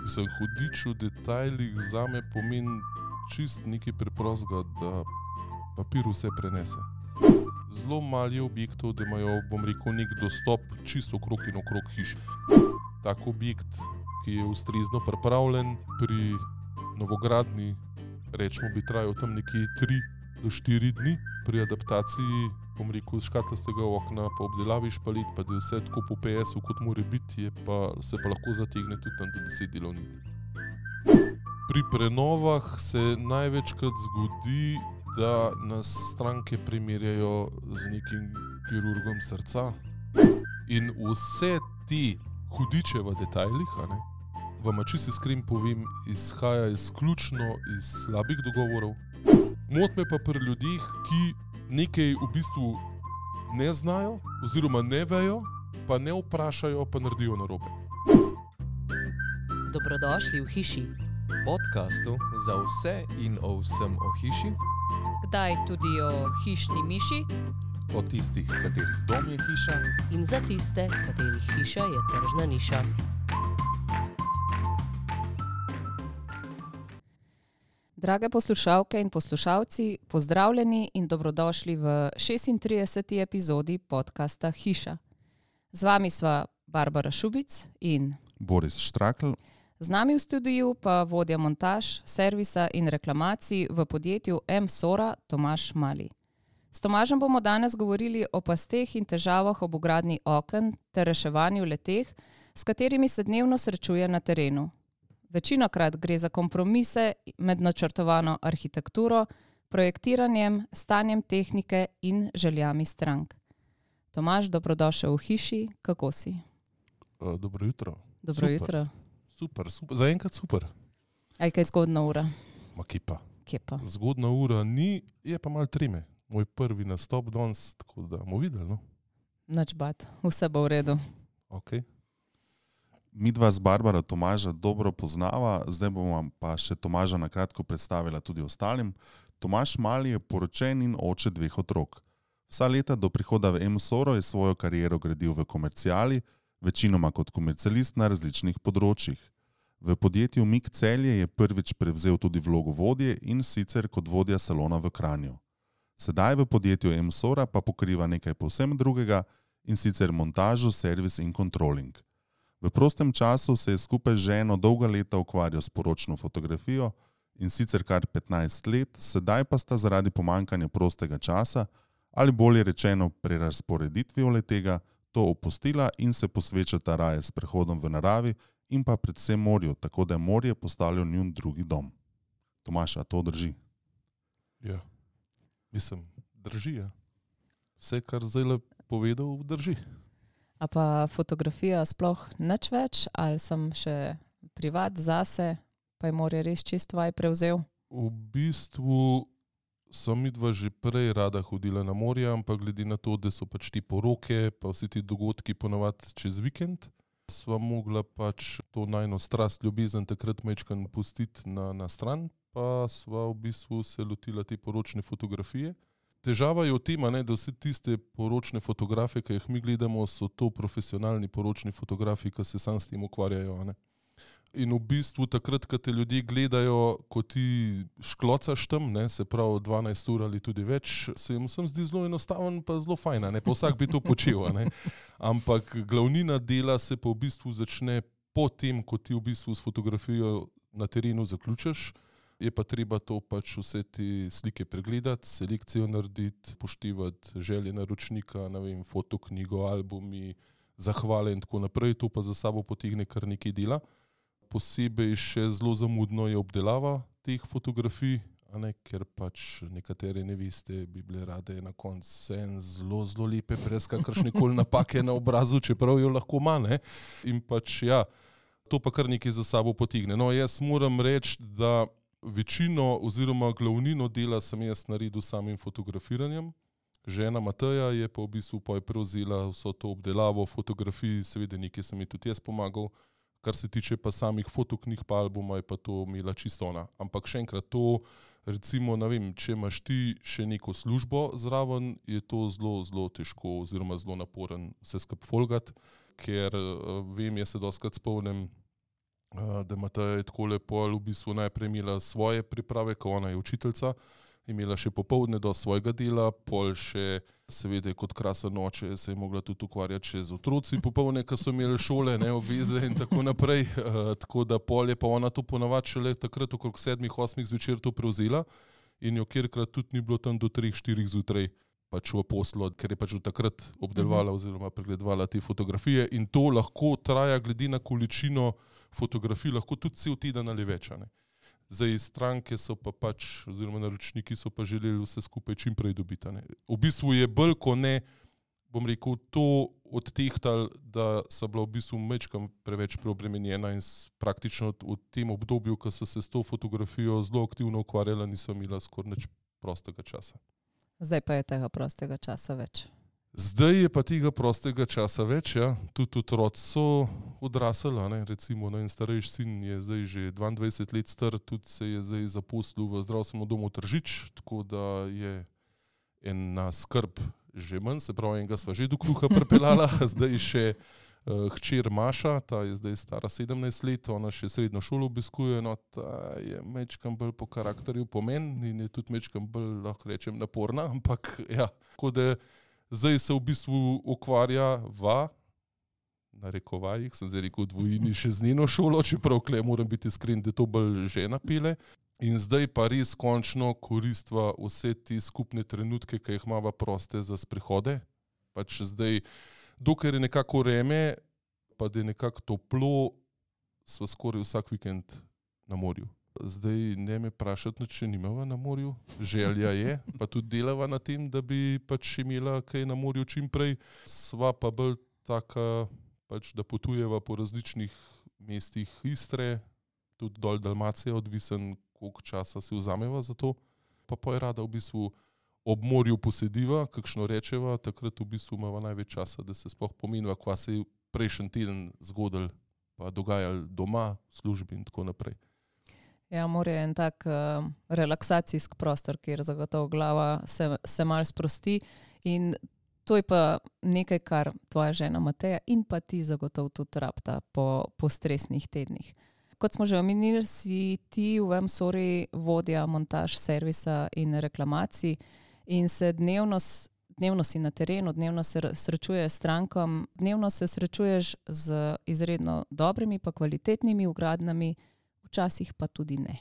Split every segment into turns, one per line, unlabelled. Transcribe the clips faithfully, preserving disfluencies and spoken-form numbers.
Mislim, hudič v detajlih zame pomeni čist nekaj preprostega, da papir vse prenese. Zelo malo je objektov, da imajo, bom rekel, nek dostop čisto okrog in okrog hiš. Tak objekt, ki je ustrezno pripravljen pri novogradnji, rečemo, bi trajal tam nekje tri do štiri dni. Pri adaptaciji, bom rekel, škatlastega okna, pa obdelavi špalit, pa da je vse tako po P S-u, kot mora biti, je pa, se pa lahko zategne tudi tam do deset delovnih dni. Pri prenovah se največkrat zgodi, da nas stranke primerjajo z nekim kirurgom srca. In vse te hudiče v detajlih, a ne, vam čisto iskren povem, izhaja izključno iz slabih dogovorov. Moti me pa pri ljudeh, ki nekaj v bistvu ne znajo oziroma ne vejo, pa ne vprašajo, pa naredijo narobe.
Dobrodošli v hiši.
Podcastu za vse in o vsem o hiši.
Kdaj tudi o hišni miši.
O tistih, katerih dom je hiša.
In za tiste, katerih hiša je tržna niša. Drage poslušalke in poslušalci, pozdravljeni in dobrodošli v šestintrideseti epizodi podcasta Hiša. Z vami sva Barbara Šubic in
Boris Štrakl.
Z nami v studiu pa vodja montaž, servisa in reklamacij v podjetju M-Sora Tomaž Mali. S Tomažem bomo danes govorili o pasteh in težavah ob vgradnji oken ter reševanju le-teh, s katerimi se dnevno srečuje na terenu. Večinokrat gre za kompromise med načrtovano arhitekturo, projektiranjem, stanjem tehnike in željami strank. Tomaž, dobrodošel v hiši, kako si?
Uh, dobro jutro.
Dobro
super.
jutro.
Super, super. Zaenkrat super.
Aj kaj zgodna ura?
Ma kje pa.
Kje pa?
Zgodna ura ni, je pa malo treme. Moj prvi nastop danes, tako da bomo videli, no?
Nič bat, vse bo v redu.
Ok.
Midva z Barbara Tomaža dobro poznava, zdaj bomo pa še Tomaža na kratko predstavila tudi ostalim. Tomaž Mali je poročen in oče dveh otrok. Vsa leta do prihoda v M-Soro je svojo kariero gradil v komerciali, večinoma kot komercialist na različnih področjih. V podjetju Mik Celje je prvič prevzel tudi vlogo vodje in sicer kot vodja salona v Kranju. Sedaj v podjetju M-Sora pa pokriva nekaj povsem drugega in sicer montažo, servis in kontroling. V prostem času se je skupaj z ženo dolga leta ukvarjal s poročno fotografijo in sicer kar petnajst let, sedaj pa sta zaradi pomanjkanja prostega časa ali bolje rečeno prerazporeditvijo le-tega to opustila in se posvečata raje s prehodom v naravi in pa predvsem morju, tako da je morje postalo njun drugi dom. Tomaž, a to drži?
Ja, mislim, drži, ja. Vse, kar zdaj povedal, drži.
A pa fotografija sploh nič več, ali sem še privat zase, pa je morje res čisto vaj prevzel?
V bistvu sem midva že prej rada hodila na morje, ampak glede na to, da so pač ti poroke, pa vsi ti dogodki ponavadi čez vikend, sva mogla pač to najino strast, ljubezen takrat majčkan pustiti na, na stran, pa sva v bistvu se lotila te poročne fotografije. Težava je v tem, ne, da vse tiste poročne fotografije, ki jih mi gledamo, so to profesionalni poročni fotografi, ki se sam s tem ukvarjajo. Ne. In v bistvu takrat, ko te ljudje gledajo, ko ti šklocaš tam, ne, se pravi dvanajst ur ali tudi več, se jim vsem zdi zelo enostaven pa zelo fajn, ne, pa vsak bi to počel. Ne. Ampak glavnina dela se pa v bistvu začne po tem, ko ti v bistvu s fotografijo na terenu zaključiš. Je pa treba to pač vse te slike pregledati, selekcijo narediti, poštivati želje naročnika, ne vem, fotoknjigo, albumi, zahvale in tako naprej. To pa za sabo potegne kar nekaj dela. Posebej še zelo zamudno je obdelava teh fotografij, a ne, ker pač nekatere neveste bi bile rade na koncu vse zelo, zelo lepe, brez kakršnekoli napake na obrazu, čeprav jo lahko ima, ne. In pač ja, to pa kar nekaj za sabo potegne. No, jaz moram reči, da večino oziroma glavnino dela sem jaz naredil samim fotografiranjem. Žena Mateja je pa v bistvu pa je prevzela vso to obdelavo fotografij, seveda nekaj sem ji tudi jaz pomagal. Kar se tiče pa samih fotoknjig pa albuma, je pa to imela čisto ona. Ampak še enkrat to, recimo, ne vem, če imaš ti še neko službo zraven, je to zelo, zelo težko oziroma zelo naporen vse skupaj folgati, ker vem, jaz se dostikrat spomnim, da imata je tako lepo v bistvu najprej imela svoje priprave, ko ona je učiteljica, imela še popoldne do svojega dela, pol še seveda kot krasen oče se je mogla tudi ukvarjati še z otroci popoldne, ko so imeli šole, ne, obveze in tako naprej. Uh, tako da pol je pa ona to ponavadi šele takrat okrog sedmih, osmih zvečer to prevzela in jo kjerkrat tudi ni bilo tam do treh, štirih zjutraj pač v poslu, ker je pač od takrat obdelovala oziroma pregledovala te fotografije in to lahko traja glede na količino fotografij, lahko tudi cel teden ali več. Ne. Zdaj stranke so pa pač, oziroma naročniki so pa želeli vse skupaj čim prej dobiti. Ne. V bistvu je bolj, ko ne, bom rekel, to odtehtali, da so bila v bistvu mečkam preveč preobremenjena in praktično v tem obdobju, ko so se s to fotografijo zelo aktivno ukvarjala, niso imela skoraj nič prostega časa.
Zdaj pa je tega prostega časa več.
Zdaj je pa tega prostega časa več, ja. Tudi otroci so odrasli, ne. Recimo en starejši sin je zdaj že dvaindvajset let star, tudi se je zdaj zaposlil v zdravstvenem domu Tržič, tako da je ena skrb že manj, se pravi, enega sva že do kruha pripeljala, zdaj še uh, hčer Maša, ta je zdaj stara sedemnajst let, ona še srednjo šolo obiskuje, no ta je mečkam bolj po karakterju pomen in je tudi mečkam bolj, lahko rečem, naporna, ampak ja, tako da zdaj se v bistvu ukvarja va, na rekovajih, sem zdaj rekel dvojini še z njeno šolo, čeprav kle moram biti iskren, da to bolj žena pele. In zdaj pa res končno koristva vse te skupne trenutke, ki jih imava proste za sprehode. Pač zdaj, dokler je nekako vreme, pa da je nekako toplo, sva skoraj vsak vikend na morju. Zdaj ne me vprašati, če nimava na morju, želja je, pa tudi delava na tem, da bi pač imela kaj na morju čim prej. Sva pa bolj taka, pač, da potujeva po različnih mestih Istre, tudi dol Dalmacije, odvisen, koliko časa si vzameva za to. Pa pa je rada v bistvu ob morju posediva, kakšno rečeva, takrat v bistvu imava največ časa, da se sploh pomeniva, kva se je prejšnji teden zgodil, pa dogajal doma, v službi in tako naprej.
Ja, morje je en tak uh, relaksacijski prostor, kjer zagotovo glava se, se malo sprosti in to je pa nekaj, kar tvoja žena Mateja in pa ti zagotovo tudi rabta po, po stresnih tednih. Kot smo že omenili, si ti v M-Sori vodja montaž servisa in reklamacij in se dnevno, dnevno si na terenu, dnevno se srečuješ s strankom, dnevno se srečuješ z izredno dobrimi pa kvalitetnimi vgradnami, včasih pa tudi ne.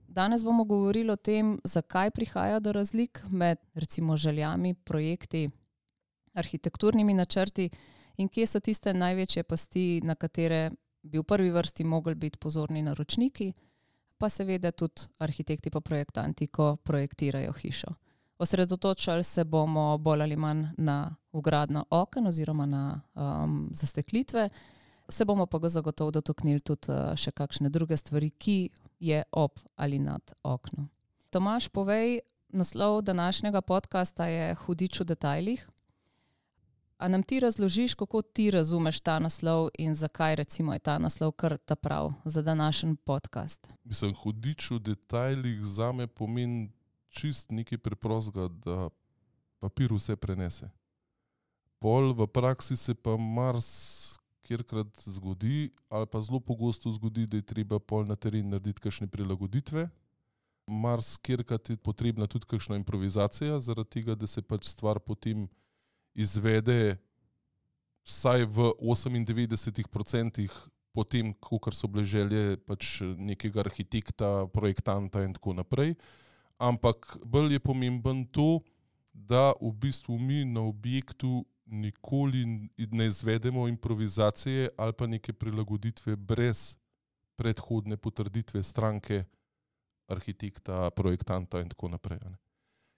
Danes bomo govorili o tem, zakaj prihaja do razlik med recimo željami, projekti, arhitekturnimi načrti in kje so tiste največje pasti, na katere bi v prvi vrsti mogli biti pozorni naročniki, pa seveda tudi arhitekti pa projektanti, ko projektirajo hišo. Osredotočali se bomo bolj ali manj na vgradno oken oziroma na um, zasteklitve, se bomo pa ga zagotovo dotaknili tudi uh, še kakšne druge stvari, ki je ob ali nad oknom. Tomaž, povej, naslov današnjega podcasta je Hudič v detajlih. A nam ti razložiš, kako ti razumeš ta naslov in zakaj recimo je ta naslov kar ta prav za današnji podcast?
Mislim, hudič v detajlih zame pomeni čist nekaj preprostega, da papir vse prenese. Pol v praksi se pa mars kjerkrat zgodi, ali pa zelo pogosto zgodi, da je treba pol na teren narediti kakšne prilagoditve. Mars kjerkrat je potrebna tudi kakšna improvizacija, zaradi tega, da se pač stvar potem izvede vsaj v osemindevetdeset procentih potem, kakor so bile želje pač nekega arhitekta, projektanta in tako naprej. Ampak bolj je pomemben to, da v bistvu mi na objektu nikoli ne izvedemo improvizacije ali pa neke prilagoditve brez predhodne potrditve stranke, arhitekta, projektanta in tako naprej. Ne.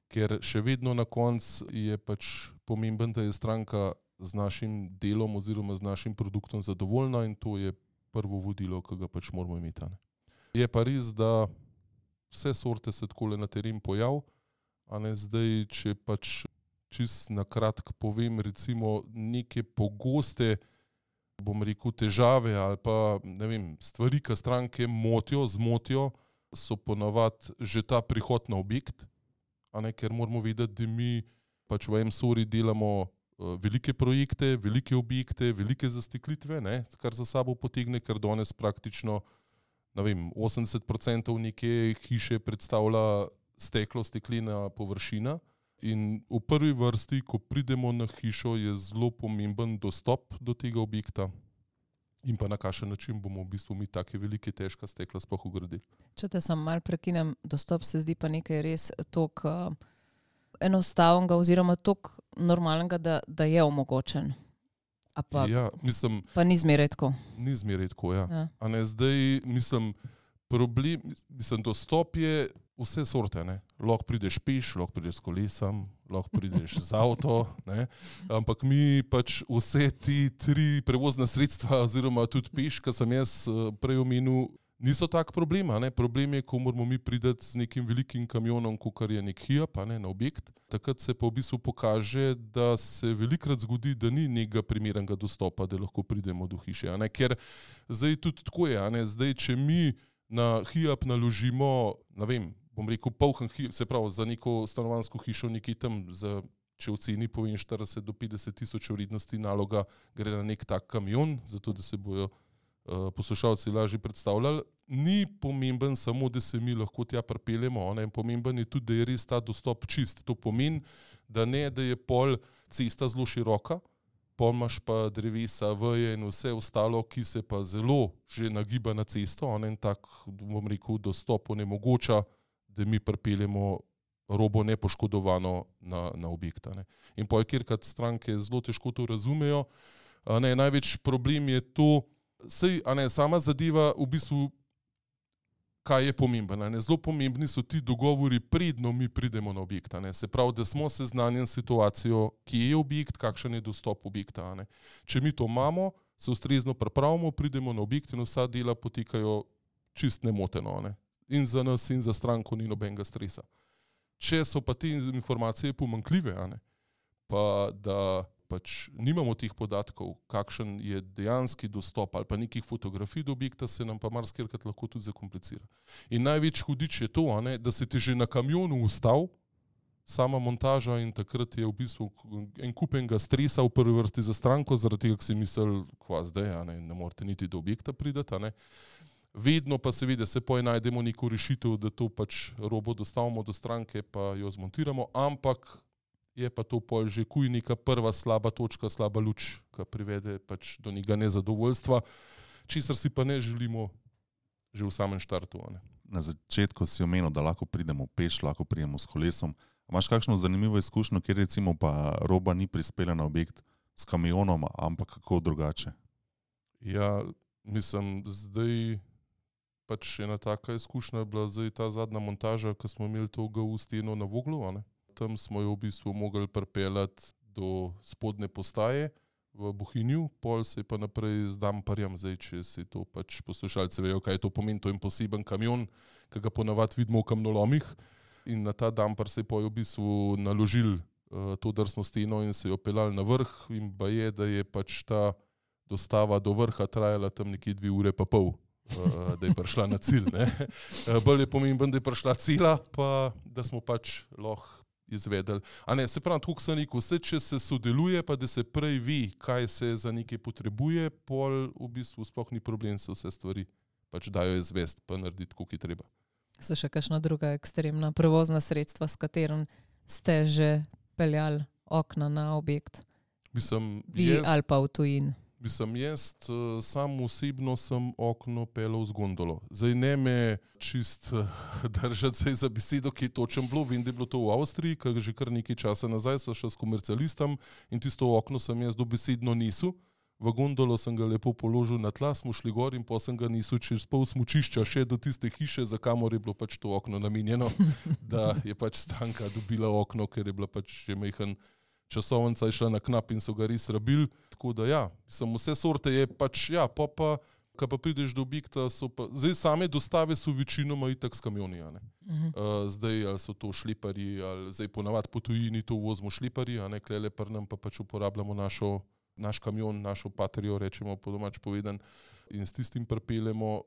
Ker še vedno na koncu je pač pomemben, da je stranka z našim delom oziroma z našim produktom zadovoljna in to je prvo vodilo, ki ga pač moramo imeti. Ne. Je pa res, da vse sorte se takole na teren pojav, a ne zdaj, če pač čist na kratko povem, recimo neke pogoste, bom rekel, težave ali pa ne vem, stvari, ki stranke motijo, zmotijo, so ponavadi že ta prihod na objekt, a ne, ker moramo vedeti, da mi pač v M-Sori delamo uh, velike projekte, velike objekte, velike zasteklitve, ne, kar za sabo potegne, ker danes praktično ne vem, osemdeset procentov neke hiše predstavlja steklo, steklena površina. In v prvi vrsti, ko pridemo na hišo, je zelo pomemben dostop do tega objekta in pa na kakšen način bomo v bistvu mi take velike, težka stekla sploh ugradili.
Če te sam mal prekinem, dostop se zdi pa nekaj res toliko uh, enostavnega oziroma toliko normalnega, da, da je omogočen. A pa,
Ja, mislim,
pa ni zmeraj tako.
ni zmeraj tako, ja.
Ja.
A ne, zdaj, mislim, problem, mislim, dostop je vse sorte, ne. Lahko prideš peš, lahko prideš s kolesom, lahko prideš z avto, ne. Ampak mi pač vse ti tri prevozna sredstva oziroma tudi peš, kar sem jaz eh, prej omenil, niso tak problem, a ne. Problem je, ko moramo mi priti z nekim velikim kamionom, kakor je nek Hiab, a ne, na objekt. Takrat se pa v bistvu pokaže, da se velikrat zgodi, da ni nekega primernega dostopa, da lahko pridemo do hiše, a ne. Ker zdaj tudi tako je, a ne. Zdaj, če mi na Hiab naložimo, ne vem, bom rekel, polhen Hiab, se pravi, za neko stanovanjsko hišo nekaj tam, za, če v ceni povem štirideset do petdeset tisoč vrednosti naloga, gre na nek tak kamion, zato da se bojo uh, poslušalci lažje predstavljali. Ni pomemben samo, da se mi lahko tja pripeljemo, ne, pomemben je tudi, da je res ta dostop čist. To pomeni, da ne, da je pol cesta zelo široka, pol imaš pa drevesa, veje in vse ostalo, ki se pa zelo že nagiba na cesto, ne, in tak, bom rekel, dostop onemogoča, da mi pripeljemo robo nepoškodovano na, na objekta. Ne. In pol, kjerkrat stranke zelo težko to razumejo, a ne, največ problem je to, sej, a ne, sama zadeva v bistvu, kaj je pomembno. Zelo pomembni so ti dogovori, predno mi pridemo na objekt. Ne. Se pravi, da smo seznanjeni s situacijo, kje je objekt, kakšen je dostop objekta. Ne. Če mi to imamo, se ustrezno pripravimo, pridemo na objekt in vsa dela potekajo čist nemoteno. Ne. In za nas in za stranko ni nobenega stresa. Če so pa te informacije pomanjkljive, a ne, pa da pač nimamo teh podatkov, kakšen je dejanski dostop ali pa nekih fotografij do objekta, se nam pa marsikrat lahko tudi zakomplicira. In največ hudič je to, a ne, da se ti že na kamionu ustav, sama montaža in takrat je v bistvu en kupenega stresa v prvi vrsti za stranko, zaradi tega, ki si misel, kva zdaj, a ne, ne morate niti do objekta pridati, a ne. Vedno pa seveda se poj najdemo neko rešitev, da to pač robo dostavimo do stranke pa jo zmontiramo, ampak je pa to pol že kuj neka prva slaba točka, slaba luč, ki privede pač do njega nezadovoljstva, česar si pa ne želimo že v samem štartu. Ne.
Na začetku si omenil, da lahko pridemo peš, lahko pridemo s kolesom. Imaš kakšno zanimivo izkušnjo, kjer recimo pa roba ni prispela na objekt s kamionom, ampak kako drugače?
Ja, mislim, zdaj pač ena taka izkušnja je bila zdaj ta zadnja montaža, ko smo imeli to G U steno na Voglu, a ne. Tam smo jo v bistvu mogli pripeljati do spodnje postaje v Bohinju, pol se je pa naprej z damparjem, zdaj če si to pač poslušalci vejo, kaj je to pomeni, to je en poseben kamion, ki ga ponavadi vidimo v kamnolomih in na ta dampar se je pa v bistvu naložil uh, to drsno steno in se jo peljali na vrh in ba je, da je pač ta dostava do vrha trajala tam nekje dve ure pa pol, uh, da je prišla na cilj. Ne. Uh, bolj je pomemben, da je prišla cela, pa da smo pač lahko izvedeli. A ne, se pravi, tako sem rekel, vse, če se sodeluje, pa da se prej ve, kaj se za nekaj potrebuje, pol v bistvu sploh ni problem, se vse stvari pač dajo izvesti, pa narediti, koliko je treba.
So še kakšna druga ekstremna prevozna sredstva, s katerim ste že peljali okna na objekt?
Mislim,
Vi
jaz,
ali pa v tujin?
mislim, jaz uh, sam osebno sem okno peljal z gondolo. Zdaj ne me čist uh, držati zdaj za besedo, ki je točen bilo. Vem, da je bilo to v Avstriji, ker že kar nekaj časa nazaj sva šla s komercialistom in tisto okno sem jaz dobesedno nisu. V gondolo sem ga lepo položil na tla, smo šli gor in potem sem ga nisil čez pol smučišča še do tiste hiše, za kamor je bilo pač to okno namenjeno, da je pač stranka dobila okno, ker je bila pač že majhen časovnica je šla na knap in so ga res rabili. Tako da ja, sem vse sorte je pač, ja, pa pa, ko pa prideš do objekta, so pa, zdaj same dostave so večinoma itak s kamioni, a ne. Uh-huh. Uh, zdaj, ali so to šleparji, ali zdaj ponavadi po tujini to vozimo šleparji, a ne, klele pri nam pa pač uporabljamo našo, naš kamion, našo patrijo, rečemo po domač povedan, in s tistim pripeljemo.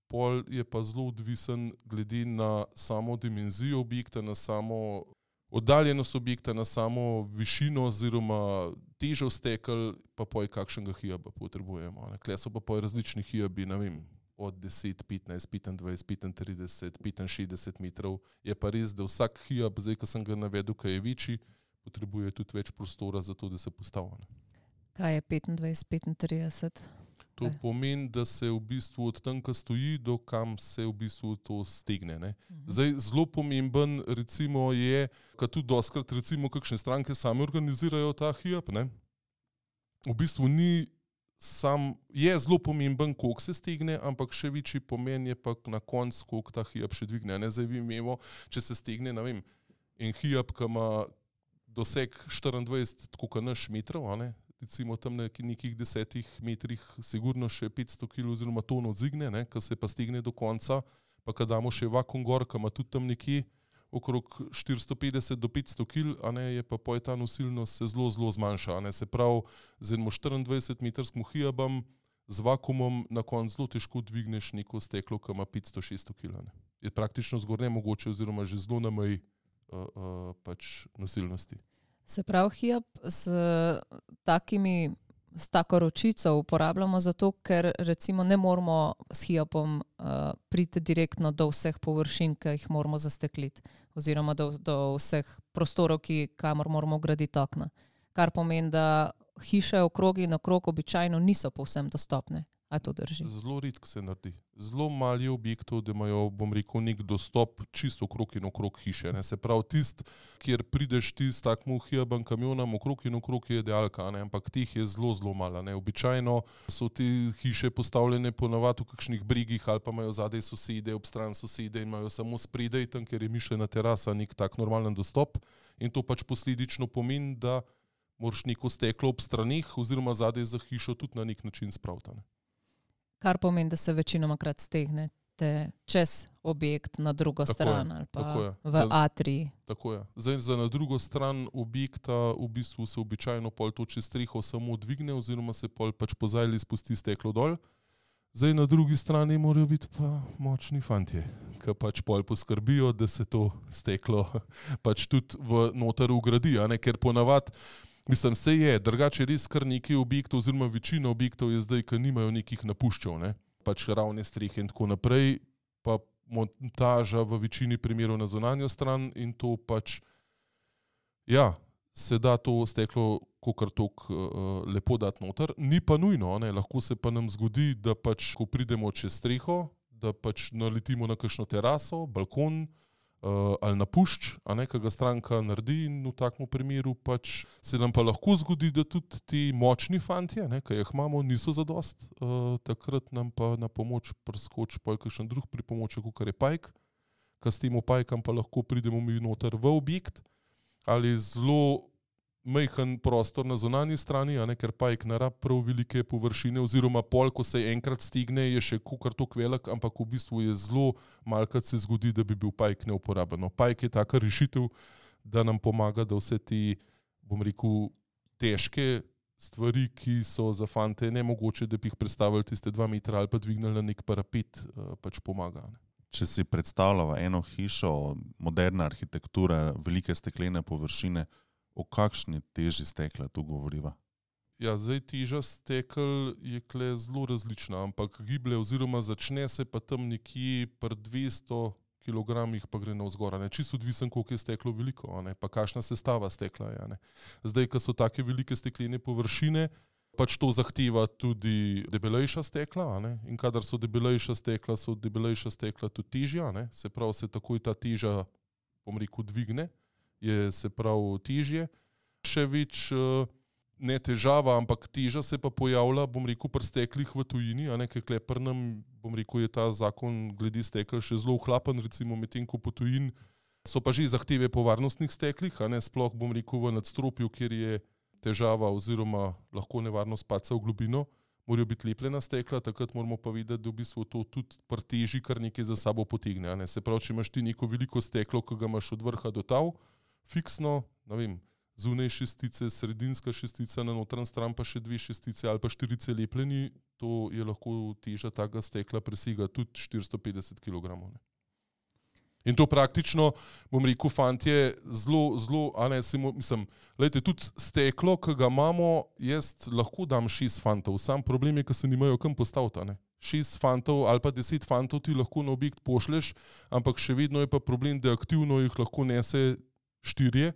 Pol je pa zelo odvisen glede na samo dimenzijo objekta, na samo oddaljenost objekta, na samo višino oziroma težo stekel, pa poj kakšnega Hiaba potrebujemo. Kle so pa poj različni Hiabi, ne vem, od deset, petnajst, petindvajset, petintrideset, petinšestdeset metrov. Je pa res, da vsak Hiab, zdaj, ko sem ga navedel, kaj je večji, potrebuje tudi več prostora za to, da se postavi.
Kaj je petindvajset, petintrideset?
To okay. pomeni, da se v bistvu od tam, ko stoji, do kam se v bistvu to stegne. Ne? Zdaj, zelo pomemben recimo je, kad tudi doskrat recimo kakšne stranke same organizirajo ta Hiab, ne? V bistvu ni sam, je zelo pomemben, koliko se stegne, ampak še večji pomen je pa na koncu, koliko ta Hiab še dvigne. Ne? Zdaj vi imamo, če se stegne, ne vem, en Hiab, ki ima doseg štiriindvajset, tako kot naš metrov, a ne? Recimo tam na nekih desetih metrih sigurno še petsto kilogramov oziroma ton odzigne, ne, ko se pa stegne do konca, pa kad damo še vakuum gor, ki ima tudi tam nekje okrog štiristo petdeset do petsto kilogramov, a ne, je pa poj ta nosilnost se zelo, zelo zmanjša, a ne, se pravi, z enim štiriindvajset metrskim Hiabom z vakuumom na koncu zelo težko dvigneš neko steklo, ki ima petsto šeststo kilogramov. Je praktično zgor nemogoče oziroma že zelo na meji uh, uh, pač nosilnosti.
Se pravi, Hiab s takimi, s tako ročico uporabljamo zato, ker recimo ne moramo s Hiabom uh, priti direktno do vseh površin, ki jih moramo zastekliti, oziroma do, do vseh prostorov, ki, kamor moramo graditi okna. Kar pomeni, da hiše okrog in okrog običajno niso povsem dostopne. A to drži?
Zelo redko se naredi. Zelo malo je objektov, da imajo, bom rekel, nek dostop čisto okrog in okrog hiše. Ne? Se pravi, tist, kjer prideš ti s takmu Hiabom kamionom okrog in okrog je idealka, ne? Ampak teh je zelo, zelo malo. Ne? Običajno so te hiše postavljene ponavadi v kakšnih brigih ali pa imajo zadaj sosede, ob stran sosede in imajo samo spredaj tam, ker je mišljena terasa, nek tak normalen dostop. In to pač posledično pomeni, da moraš neko steklo ob stranih oziroma zadaj za hišo tudi na nek način spraviti. Ne?
Kar pomeni, da se večinoma krat stegnete čez objekt na drugo tako stran je, ali pa v za, atriji.
Tako je. Zdaj za na drugo stran objekta v bistvu se običajno pol to čez streho samo dvigne oziroma se pol pač pozajli spusti steklo dol. Zdaj na drugi strani morajo biti pa močni fantje, ki pač pol poskrbijo, da se to steklo pač tudi v noter ugradi, a ne, ker ponavad mislim, se je, drugače res kar nekaj objektov oziroma večina objektov je zdaj, ki nimajo nekih napuščev, ne? Pač ravne strehe in tako naprej, pa montaža v večini primerov na zunanjo stran in to pač, ja, se da to steklo kakor tok uh, lepo dati noter, ni pa nujno, ne? Lahko se pa nam zgodi, da pač, ko pridemo čez streho, da pač naletimo na kakšno teraso, balkon, Uh, ali na pušč, a ne, ki ga stranka naredi in v takem primeru pač se nam pa lahko zgodi, da tudi ti močni fantje, ne, ki jih imamo, niso zadost. Uh, takrat nam pa na pomoč preskoči pol kakšen drug pripomoček, kakor je pajk, ki s tem pajkam pa lahko pridemo mi noter v objekt ali zelo majhen prostor na zunanji strani, a ne, ker pajk ne rab prav velike površine oziroma pol, ko se enkrat stigne, je še kakor tok velik, ampak v bistvu je zelo malkrat se zgodi, da bi bil pajk neuporaben. Pajk je taka rešitev, da nam pomaga, da vse te, bom rekel, težke stvari, ki so za fante nemogoče, da bi jih predstavili tiste dva metra ali pa dvignili na nek parapet, pač pomaga. Ne.
Če si predstavljava eno hišo, moderna arhitektura, velike steklene površine, o kakšni teži stekla tu govoriva?
Ja, zdaj teža stekel je kle zelo različna, ampak giblje oziroma začne se pa tam nekje pri dvesto kilogramih pa gre navzgor. Čisto odvisen, koliko je steklo veliko, a ne? Pa kakšna sestava stekla je. A ne? Zdaj, ko so take velike steklene površine, pač to zahteva tudi debelejša stekla, a ne? In kadar so debelejša stekla, so debelejša stekla tudi težja, ne? Se pravi, se takoj ta teža, bom rekel, dvigne, je se pravi težje. Še več ne težava, ampak teža se pa pojavlja, bom rekel, pri steklih v tujini, a ne, ker pri nam, bom rekel, je ta zakon glede stekel še zelo ohlapen, recimo medtem ko po tujini so pa že zahteve po varnostnih steklih, a ne, sploh bom rekel v nadstropju, kjer je težava oziroma lahko nevarnost padca v globino, morajo biti lepljena stekla, takrat moramo pa videti, da v bistvu to tudi pri teži kar nekaj za sabo potegne, a ne. Se pravi, če imaš ti neko veliko steklo, ki ga imaš od vrha do tav, fiksno, ne vem, zunaj šestice, sredinska šestica, na notranji stran pa še dve šestice ali pa štirice lepljeni, to je lahko teža takega stekla presega tudi štiristo petdeset kilogramov. Ne. In to praktično, bom rekel, fantje, zelo, zelo, a ne, simo, mislim, lejte, tudi steklo, ki ga imamo, jaz lahko dam šest fantov, sam problem je, ker se nimajo kam postaviti, a ne. šest fantov ali pa deset fantov ti lahko na objekt pošleš, ampak še vedno je pa problem, da aktivno jih lahko nese štirje,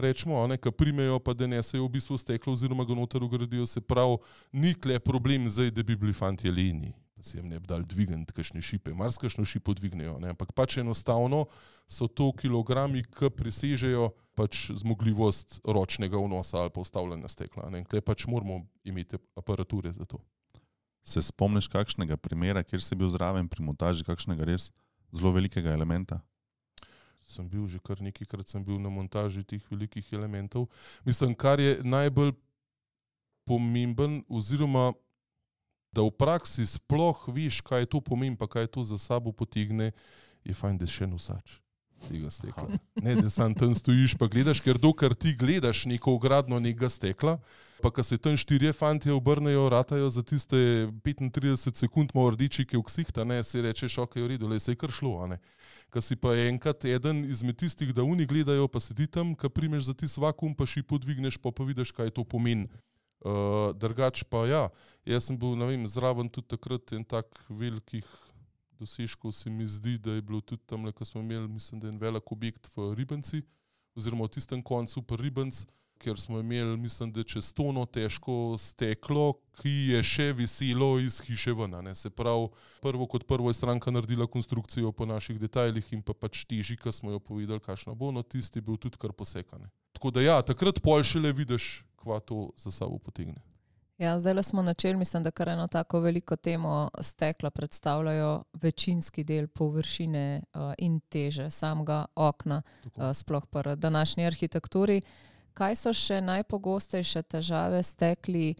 rečemo, ki primejo pa da nesejo v bistvu steklo oziroma ga noter ugradijo, se pravi, ni tle problem zdaj, da bi bili fantje leni, pa si jim ne bi dal dvigant kakšne šipe, marsikakšno šipo dvignejo, ne? Ampak pač enostavno so to kilogrami, ki presežejo pač zmogljivost ročnega vnosa ali pa ustavljanja stekla, ne? Tle pač moramo imeti aparature za to.
Se spomniš kakšnega primera, kjer si bil zraven pri montaži kakšnega res zelo velikega elementa?
Sem bil že kar nekajkrat sem bil na montaži teh velikih elementov. Mislim, kar je najbolj pomemben, oziroma da v praksi sploh veš, kaj to pomeni, pa kaj to za sabo potegne, je fajn, da še nosač tega stekla. Ne, da sam tam stojiš pa gledaš, ker dokler ti gledaš neko ogradno nekega stekla, pa ko se tam štirje fantje obrnejo, ratajo za tiste petintrideset sekund malo rdečike v ksihta, ne, si rečeš, ok, v redu, le se je kar šlo, a ne. Ko si pa enkrat eden izmed tistih, da oni gledajo, pa sedi tam, ko primeš za tist vakuum, pa šipo dvigneš, pa pa vidiš, kaj to pomeni. Uh, drugač pa ja, jaz sem bil, ne vem, zraven tudi takrat en tak velikih dosežkov se mi zdi, da je bilo tudi tam, ko smo imeli, mislim, da je en velik objekt v Ribenci, oziroma v tistem koncu pa Ribenc, ker smo imeli, mislim, da čez tono težko steklo, ki je še viselo iz hiše ven. Ne? Se pravi, prvo kot prvo je stranka naredila konstrukcijo po naših detajlih in pa pač teži, ko smo jo povedali, kakšna bo, no tisti je bil tudi kar posekan. Tako da ja, takrat pol šele vidiš, kva to za sabo potegne.
Ja, zdaj smo načeli, mislim, da kar eno tako veliko temo stekla predstavljajo večinski del površine uh, in teže samega okna, uh, sploh pa današnji arhitekturi. Kaj so še najpogostejše težave stekli,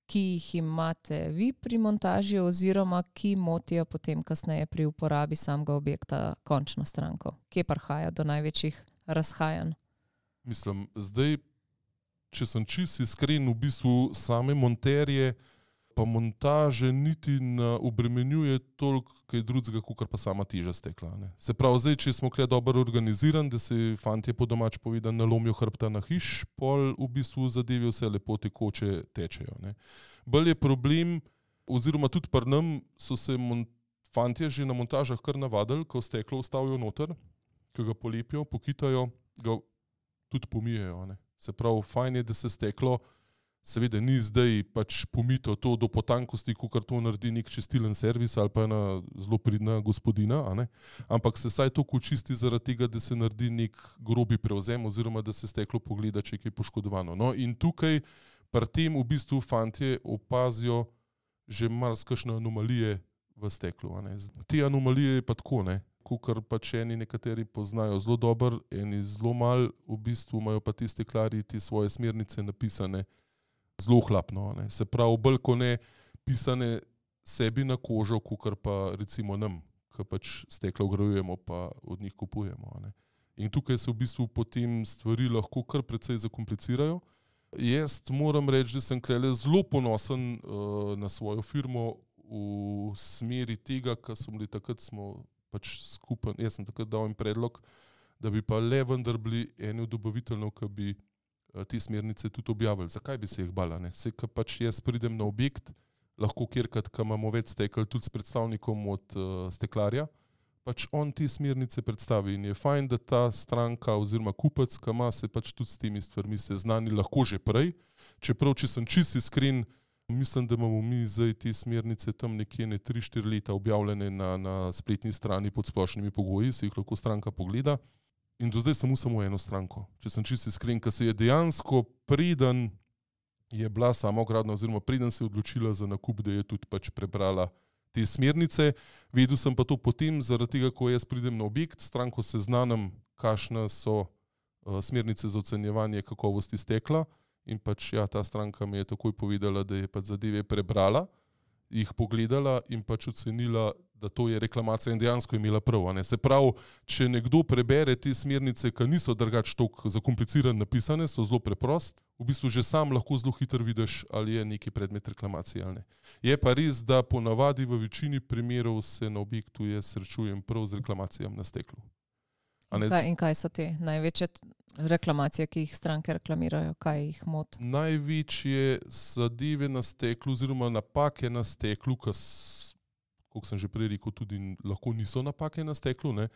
ki jih imate vi pri montaži oziroma ki motijo potem kasneje pri uporabi samega objekta končno stranko? Kje prihaja do največjih razhajanj?
Mislim, zdaj, če sem čisto iskren, v bistvu same monterje pa montaže niti ne obremenjuje toliko kaj drugega, kot pa sama teža stekla. Ne. Se pravi, zdaj, če smo kle dobro organizirani, da se fantje po domač povedan nalomijo hrbta na hiš, pol v bistvu zadevi vse lepo tekoče tečejo. Ne. Bolj je problem, oziroma tudi pri nam so se fantje že na montažah kar navadili, ko steklo ustavijo noter, ko ga polepijo, pokitajo, ga tudi pomijejo. Ne. Se pravi, fajn je, da se steklo, seveda ni zdaj pač pomito to do potankosti, kakor to naredi nek čistilen servis ali pa ena zelo pridna gospodina, a ne? Ampak se saj to očisti zaradi tega, da se naredi nek grobi prevzem oziroma da se steklo pogleda, če je kaj poškodovano. No, in tukaj pri tem v bistvu fantje opazijo že marsikakšne anomalije v steklu. A ne? Te anomalije je pa tako, ne? Kakor pač eni nekateri poznajo zelo dobro, eni zelo mal, v bistvu imajo pa ti steklarji ti svoje smernice napisane zelo hlapno. Ne. Se pravi, bolj ko ne pisane sebi na kožo, kakor pa recimo nam, ki pač stekla vgrajujemo pa od njih kupujemo. Ne. In tukaj se v bistvu potem stvari lahko kar precej zakomplicirajo. Jaz moram reči, da sem klele zelo ponosen uh, na svojo firmo v smeri tega, kar smo bili takrat smo pač skupen. Jaz sem takrat dal en predlog, da bi pa le vendar bili eni od dobaviteljev, ki bi te smernice tudi objavili. Zakaj bi se jih bala? Ne? Se, ko pač jaz pridem na objekt, lahko kjerkrat, ko imamo več stekel, tudi s predstavnikom od uh, steklarja, pač on te smernice predstavi in je fajn, da ta stranka oziroma kupec, ki ima, se pač tudi s temi stvarmi seznani lahko že prej. Čeprav, če sem čisto iskren, mislim, da imamo mi zdaj te smernice tam nekje ne tri štiri leta objavljene na, na spletni strani pod splošnimi pogoji, se jih lahko stranka pogleda. In do zdaj sem imel samo eno stranko. Če sem čisto iskren, ker se je dejansko preden je bila sama ogradna oziroma preden se je odločila za nakup, da je tudi pač prebrala te smernice. Vedel sem pa to potem, zaradi tega, ko jaz pridem na objekt, stranko seznanim, kakšne so uh, smernice za ocenjevanje kakovosti stekla in pač ja, ta stranka mi je takoj povedala, da je pač zadeve prebrala, jih pogledala in pač ocenila, da to je reklamacija in dejansko je imela prav. Ne? Se pravi, če nekdo prebere te smernice, ki niso drugače toliko zakomplicirane napisane, so zelo preprost, v bistvu že sam lahko zelo hitro vidiš, ali je neki predmet reklamacije ali ne. Je pa res, da ponavadi v večini primerov se na objektu jaz srečujem prav z reklamacijami na steklu.
In kaj, in kaj so te največje reklamacije, ki jih stranke reklamirajo? Kaj jih moti?
Največje zadeve na steklu oziroma napake na steklu, ki kot sem že prej rekel, tudi lahko niso napake na steklu, ne,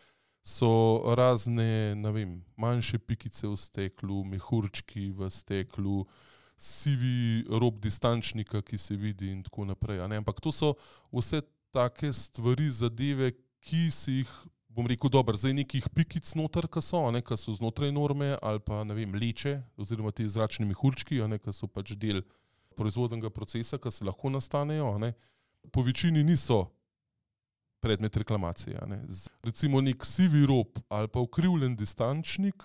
so razne, ne vem, manjše pikice v steklu, mehurčki v steklu, sivi rob distančnika, ki se vidi in tako naprej. Ne. Ampak to so vse take stvari, zadeve, ki si jih, bom rekel, dobro, zdaj nekih pikic noter, ki so, ne, ki so znotraj norme, ali pa, ne vem, leče, oziroma ti zračni mehurčki, ne, ki so pač del proizvodnega procesa, ki se lahko nastanejo, ne, po večini niso predmet reklamacije. Ne. Recimo nek sivi rob ali pa ukrivljen distančnik,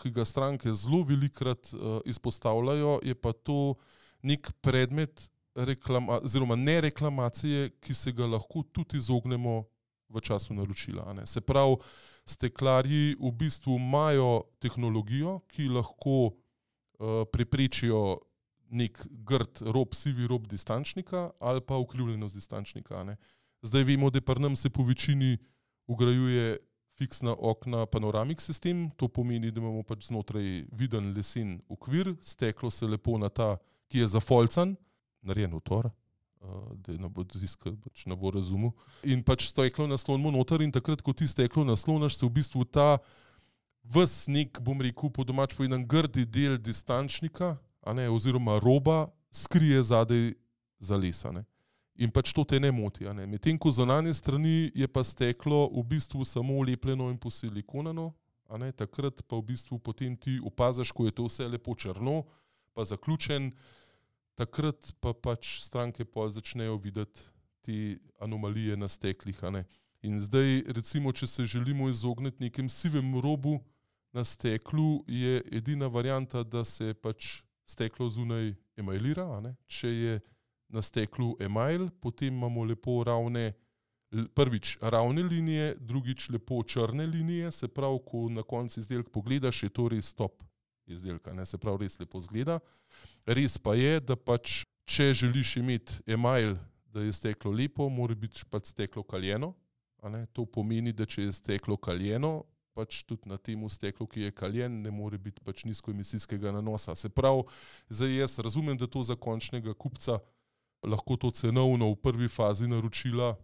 ki ga stranke zelo velikrat uh, izpostavljajo, je pa to nek predmet reklama, oziroma ne reklamacije, ki se ga lahko tudi izognemo v času naročila. Ne. Se pravi, steklarji v bistvu imajo tehnologijo, ki lahko uh, preprečijo nek grd rob, sivi rob distančnika ali pa ukrivljenost distančnika. Ne. Zdaj vemo, da pri nam se po večini ugrajuje fiksna okna panoramik sistem, to pomeni, da imamo pač znotraj viden lesen okvir, steklo se lepo na ta, ki je zafolcan, narejen v tor, da ne bo ziskal, pač ne bo razumel. In pač steklo naslonimo noter in takrat, ko ti steklo naslonaš, se v bistvu ta ves nek, bom rekel, po domač povedan, grdi del distančnika, a ne, oziroma roba, skrije zadaj za lesa. Ne. In pač to te ne moti. A ne. Medtem ko z zunanje strani je pa steklo v bistvu samo lepljeno in posilikonano, a ne, takrat pa v bistvu potem ti opaziš, ko je to vse lepo črno, pa zaključen, takrat pa pač stranke pol začnejo videti te anomalije na steklih. A ne. In zdaj, recimo, če se želimo izogniti nekem sivem robu na steklu, je edina varianta, da se pač steklo zunaj emajlira. A ne. Če je na steklu emajl, potem imamo lepo ravne, prvič ravne linije, drugič lepo črne linije, se pravi, ko na koncu izdelka pogledaš, je to res top izdelka, ne, se pravi, res lepo zgleda. Res pa je, da pač, če želiš imeti emajl, da je steklo lepo, mora biti pač steklo kaljeno, a ne, to pomeni, da če je steklo kaljeno, pač tudi na temu steklu, ki je kaljen, ne more biti pač nizkoemisijskega nanosa. Se pravi, zdaj jaz razumem, da to za končnega kupca lahko to cenovno v prvi fazi naročila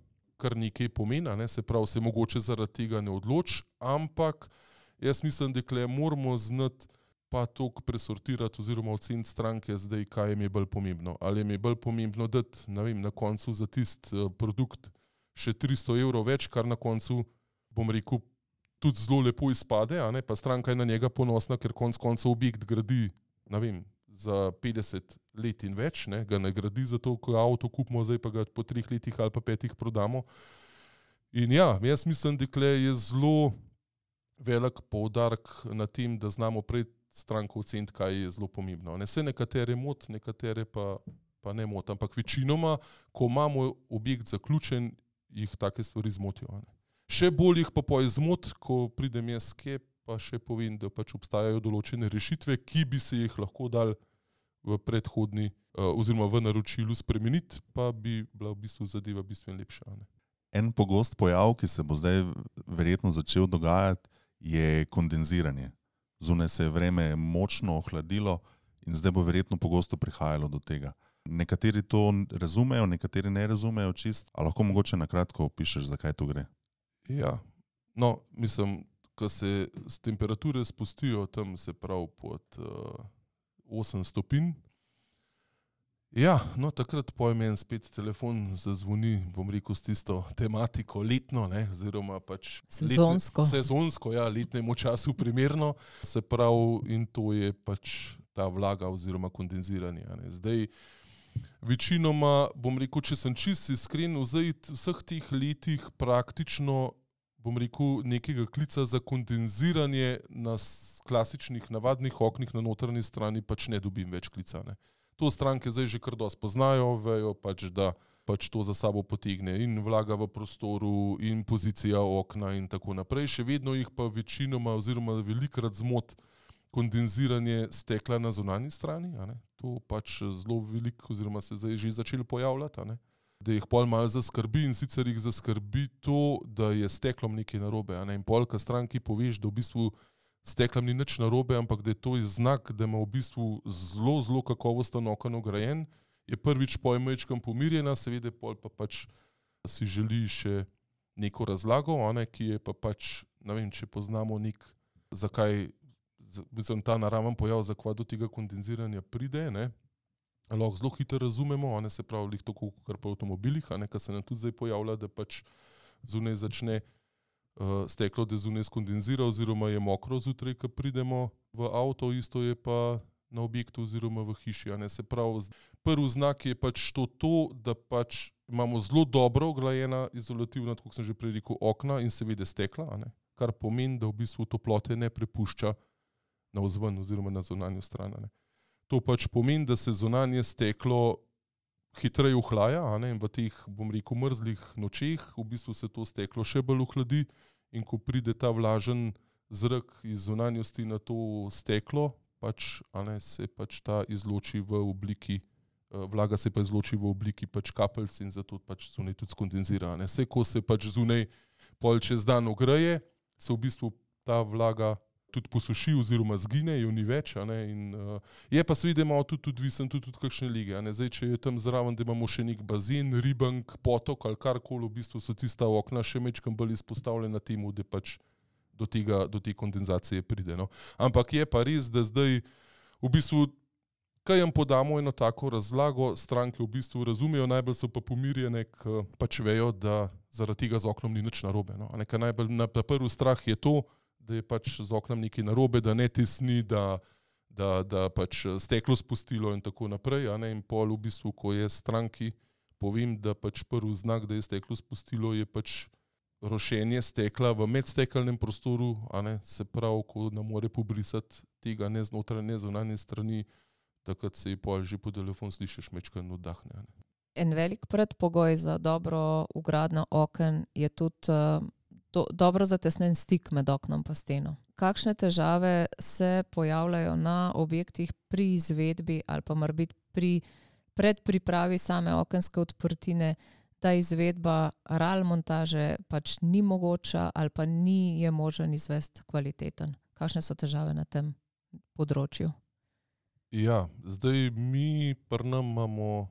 kar nekaj pomena, ne? Se pravi, se mogoče zaradi tega ne odloči, ampak jaz mislim, da kle moramo znati pa toliko presortirati oziroma oceniti stranke zdaj, kaj jim je bolj pomembno. Ali jim je bolj pomembno dati, ne vem, na koncu za tisti produkt še tristo evrov več, kar na koncu, bom rekel, tudi zelo lepo izpade, a ne? Pa stranka je na njega ponosna, ker konc koncev objekt gradi, ne vem, za petdeset let in več, ne, ga ne gradi zato, ko avto kupimo, zdaj pa ga po treh letih ali pa petih prodamo. In ja, jaz mislim, da je zelo velik poudarek na tem, da znamo prej stranko oceniti, kaj je zelo pomembno. Ne, se nekatere mot, nekatere pa, pa ne mot, ampak večinoma, ko imamo objekt zaključen, jih take stvari zmotijo. Ne. Še bolj jih pa po izmot, ko pridem jaz skep, pa še povem, da pač obstajajo določene rešitve, ki bi se jih lahko dal v predhodni oziroma v naročilu spremeniti, pa bi bila v bistvu zadeva bistveno lepša. Ne.
En pogost pojav, ki se bo zdaj verjetno začel dogajati, je kondenziranje. Zunaj se je vreme močno ohladilo in zdaj bo verjetno pogosto prihajalo do tega. Nekateri to razumejo, nekateri ne razumejo čist, a lahko mogoče na kratko opišeš, zakaj to gre?
Ja, no, mislim, ko se temperature spustijo tam, se pravi pod uh, osem stopinj. Ja, no takrat pojem en spet telefon zazvoni, bom rekel, s tisto tematiko letno, ne, oziroma pač
sezonsko.
Letne, sezonsko, ja, letnemu času primerno, se pravi, in to je pač ta vlaga oziroma kondenziranje. Ne. Zdaj, večinoma, bom rekel, če sem čist iskren, v vseh teh letih praktično bom rekel, nekega klica za kondenziranje na klasičnih, navadnih oknih na notranji strani pač ne dobim več klica. Ne. To stranke zdaj že kar dosti poznajo, vejo pač, da pač to za sabo potegne in vlaga v prostoru in pozicija okna in tako naprej. Še vedno jih pa večinoma oziroma velikrat zmot kondenziranje stekla na zunanji strani. A ne. To pač zelo veliko oziroma se zdaj že začelo pojavljati. A ne. Da jih pol malo zaskrbi in sicer jih zaskrbi to, da je steklom nekaj narobe. A ne? In pol, ko stranki poveš, da v bistvu steklom ni nič narobe, ampak da je to znak, da ima v bistvu zelo, zelo kakovosten oken ograjen, je prvič pojmečkam pomirjena, seveda pol pa pač si želi še neko razlago, ne, ki je pa pač, ne vem, če poznamo nek, zakaj, mislim, ta naraven pojav, zakaj do tega kondenziranja pride, ne, lahko zelo hitro razumemo, ne, se pravi, lih tako kot pri avtomobilih, ne, kar se nam tudi zdaj pojavlja, da pač zunaj začne uh, steklo, da zunaj skondenzira oziroma je mokro zjutraj, ko pridemo v avto, isto je pa na objektu oziroma v hiši. Ne, se pravi, prvi znak je pač to, to, da pač imamo zelo dobro oglajena izolativna, tako sem že prej rekel, okna in seveda stekla, ne, kar pomeni, da v bistvu toplote ne prepušča na vzven oziroma na zunanjo stran. Ne. To pač pomeni, da se zunanje steklo hitreje ohlaja, ne, in v teh, bom rekel, mrzlih nočeh v bistvu se to steklo še bolj ohladi in ko pride ta vlažen zrak iz zunanjosti na to steklo, pač, a ne, se pač ta izloči v obliki, vlaga se pa izloči v obliki pač kapelc in zato pač zunaj tudi skondenzira. Ne. Vse, ko se pač zunaj pol čez dan ogreje, se v bistvu ta vlaga tudi posuši oziroma zgine, jo ni več. A ne, in, uh, je pa seveda malo tudi odvisen tudi od kakšne lige. A ne. Zdaj, če je tam zraven, da imamo še nek bazen, ribank, potok ali karkoli, v bistvu so tista okna še mečkam bolj izpostavljena temu, da pač do tega, do te kondenzacije pride. No. Ampak je pa res, da zdaj v bistvu, kaj jim podamo eno tako razlago, stranke v bistvu razumejo, najbolj so pa pomirjene, ker pač vejo, da zaradi tega z oknom ni nič narobe. No. Nekaj najbolj na prvi strah je to, da je pač z oknom nekaj narobe, da ne tesni, da, da, da pač steklo spustilo in tako naprej. A ne. In pol v bistvu, ko je stranki, povem, da pač prvi znak, da je steklo spustilo, je pač rošenje stekla v medstekelnem prostoru, a ne, se pravi, ko ne more pobrisati tega ne znotraj, ne zunanje strani, takrat se je pol že po telefon slišiš mečkan oddahne.
En velik predpogoj za dobro vgradnjo oken je tudi uh, do, dobro zatesnen stik med oknom pa steno. Kakšne težave se pojavljajo na objektih pri izvedbi ali pa morebiti pri predpripravi same okenske odprtine, da izvedba ral montaže pač ni mogoča ali pa ni je možen izvesti kvaliteten. Kakšne so težave na tem področju?
Ja, zdaj mi pri nam imamo,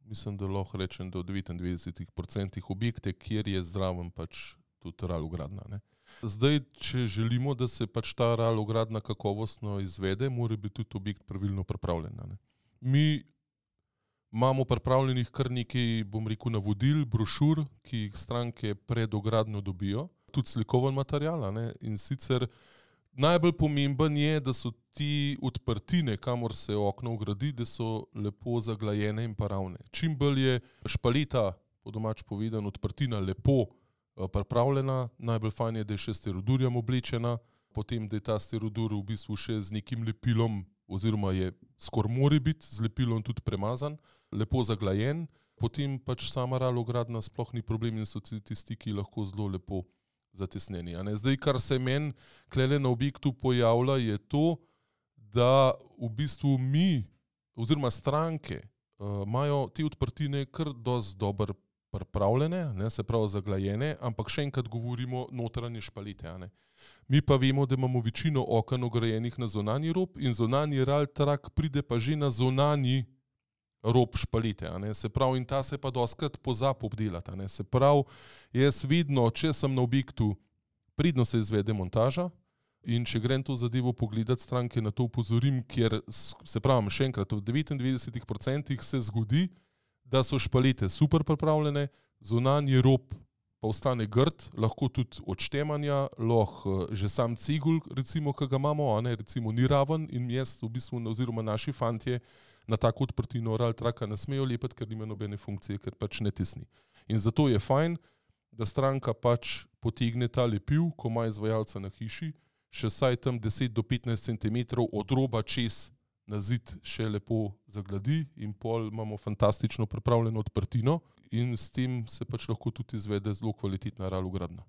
mislim, da lahko rečem, da v devetindvajset procentih objekte, kjer je zraven pač tudi ral vgradna. Ne. Zdaj, če želimo, da se pač ta ral vgradna kakovostno izvede, mora biti tudi objekt pravilno pripravljen. Ne. Mi imamo pripravljenih kar nekaj, bom rekel, navodil, brošur, ki jih stranke pred ogradnjo dobijo, tudi slikoven material. Ne? In sicer najbolj pomemben je, da so ti odprtine, kamor se okno vgradi, da so lepo zaglajene in pa ravne. Čim bolj je špaleta, po domač povedan, odprtina lepo pripravljena, najbolj fajn je, da je še sterodurjem oblečena, potem, da je ta sterodur v bistvu še z nekim lepilom, oziroma je skoraj mora biti z lepilom tudi premazan, lepo zaglajen, potem pač sama ral vgradna sploh ni problem in so tisti, ki lahko zelo lepo zatesneni. A ne? Zdaj, kar se meni klele na objektu pojavlja, je to, da v bistvu mi, oziroma stranke, uh, imajo te odprtine kar dosti dobro pripravljene, ne, se pravi zaglajene, ampak še enkrat govorimo notranje špalete. A ne. Mi pa vemo, da imamo večino oken ograjenih na zunanji rob in zunanji ral trak pride pa že na zunanji rob špalete. A ne. Se pravi, in ta se pa dostikrat pozabi obdelati. A ne. Se pravi, jaz vedno, če sem na objektu, pridno se izvede montaža in če grem to zadevo pogledati, stranke na to upozorim, kjer, se pravi, še enkrat, v devetindvajset procentih se zgodi, da so špalete super pripravljene, zunanji rob pa ostane grd, lahko tudi od štemanja, lahko že sam cigul, recimo, ki ga imamo, a ne, recimo ni raven in jaz v bistvu, oziroma naši fantje, na tako odprtino ral traka ne smejo lepiti, ker nima nobene funkcije, ker pač ne tesni. In zato je fajn, da stranka pač potegne ta lepil, ko ima izvajalca na hiši, še vsaj tam deset do petnajst centimetrov od roba čez na zid še lepo zagladi in pol imamo fantastično pripravljeno odprtino in s tem se pač lahko tudi izvede zelo kvalitetna ral vgradnja.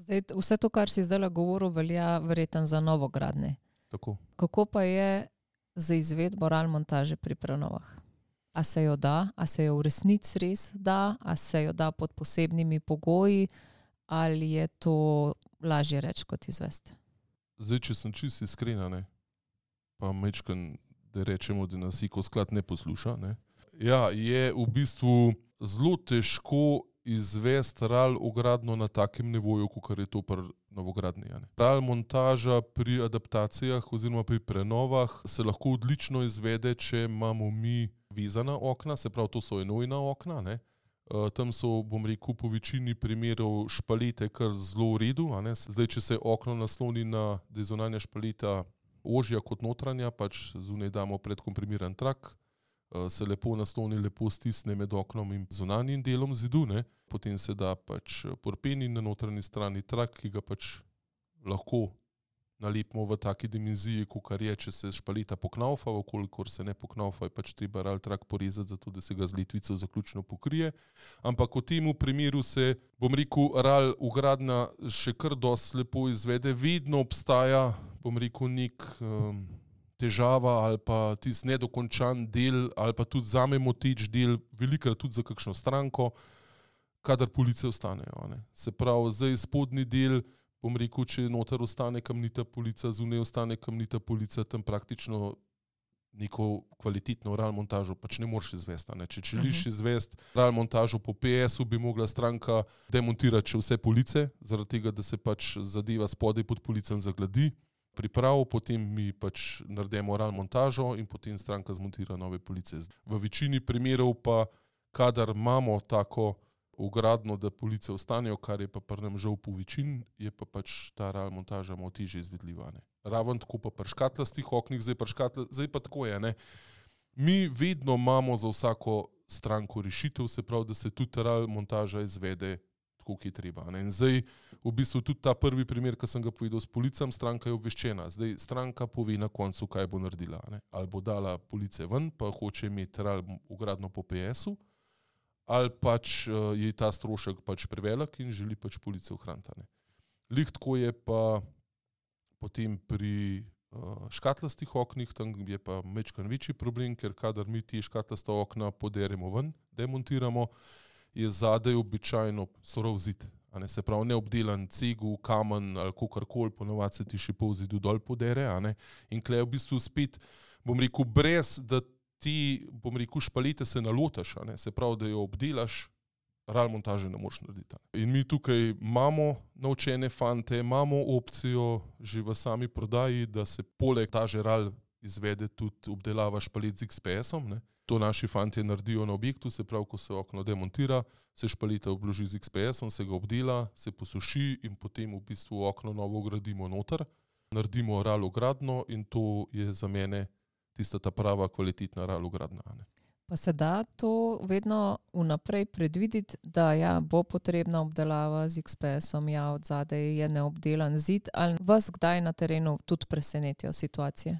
Zdaj, vse to, kar si zdaj govoril, velja verjetno za novogradnje.
Tako.
Kako pa je za izvedbo ral montaže pri prenovah? A se jo da, a se jo v resnici res da, a se jo da pod posebnimi pogoji, ali je to lažje reči kot izvesti?
Zdaj, če sem čisto iskrena, ne, pa mečkan, da rečemo, da nas iko sklad ne posluša. Ne. Ja, je v bistvu zelo težko izvesti RAL ogradno na takem nivoju, kot je to pri novogradnji. RAL montaža pri adaptacijah oziroma pri prenovah se lahko odlično izvede, če imamo mi vezana okna, se pravi, to so enojna okna, ne. Tam so, bom rekel, po večini primerov špalete kar zelo v redu. A ne. Zdaj, če se okno nasloni na, da je zunanja špaleta ožja kot notranja, pač zunaj damo predkomprimiran trak, se lepo nasloni, lepo stisne med oknom in zunanjim delom zidu, ne. Potem se da pač porpen in na notranji strani trak, ki ga pač lahko nalepimo v taki dimenziji, kakor je, če se špaleta poknaufa, okolikor se ne poknaufa, je pač treba RAL trak porezati, zato da se ga z letvico zaključno pokrije. Ampak v temu primeru se, bom rekel, RAL ugradnja še kar dosti lepo izvede. Vedno obstaja, bom rekel, nek um, težava ali pa tisti nedokončan del ali pa tudi zame moteč del, velikrat tudi za kakšno stranko, kadar police ostanejo. Ne. Se pravi, zdaj spodnji del, bom rekel, če noter ostane kamnita polica, zunaj ostane kamnita polica, tam praktično neko kvalitetno RAL montažo pač ne moreš izvesti. Ne. Če želiš izvesti RAL montažo po P S-u, bi mogla stranka demontirati še vse police, zaradi tega, da se pač zadeva spodaj pod policem zagladi, priprav, potem mi pač naredimo RAL montažo in potem stranka zmontira nove police. V večini primerov pa, kadar imamo tako ugradno, da police ostanejo, kar je pa pri nam žal po večini, je pa pač ta RAL montaža malo težje izvedljiva. Ne. Raven tako pa pri škatlastih oknih, zdaj, pri škatla, zdaj pa tako je. Ne. Mi vedno imamo za vsako stranko rešitev, se pravi, da se tudi RAL montaža izvede tako, ki je treba. Ne. In zdaj v bistvu tudi ta prvi primer, ki sem ga povedal s policam, stranka je obveščena. Zdaj stranka pove na koncu, kaj bo naredila. Ne. Ali bo dala police ven, pa hoče imeti RAL ugradno po P S-u, ali pač uh, je ta strošek pač prevelik in želi pač police ohraniti. Ne. Lih tako je pa potem pri uh, škatlastih oknih, tam je pa majčkeno večji problem, ker kadar mi ti škatlasta okna poderemo ven, demontiramo, je zadaj običajno surov zid. A ne, se pravi, neobdelan cegel, kamen ali kakorkoli, ponovadi se ti še pol zidu dol podere. A ne. In tle v bistvu spet, bom rekel, brez da ti, bom rekel, špalete se nalotaš, a ne, se pravi, da jo obdelaš, RAL montaže ne moreš narediti. In mi tukaj imamo naučene fante, imamo opcijo že v sami prodaji, da se poleg montaže RAL izvede tudi obdelava špalet z X P S-om. Ne. To naši fantje naredijo na objektu, se pravi, ko se okno demontira, se špaleta obloži z X P S-om, se ga obdela, se posuši in potem v bistvu okno novo ugradimo noter, naredimo RAL ogradno in to je za mene tista ta prava kvalitetna RAL ogradna.
Pa se da to vedno vnaprej predvideti, da ja, bo potrebna obdelava z X P S-om, ja, od zadaj je neobdelan zid, ali vas kdaj na terenu tudi presenetijo situacije?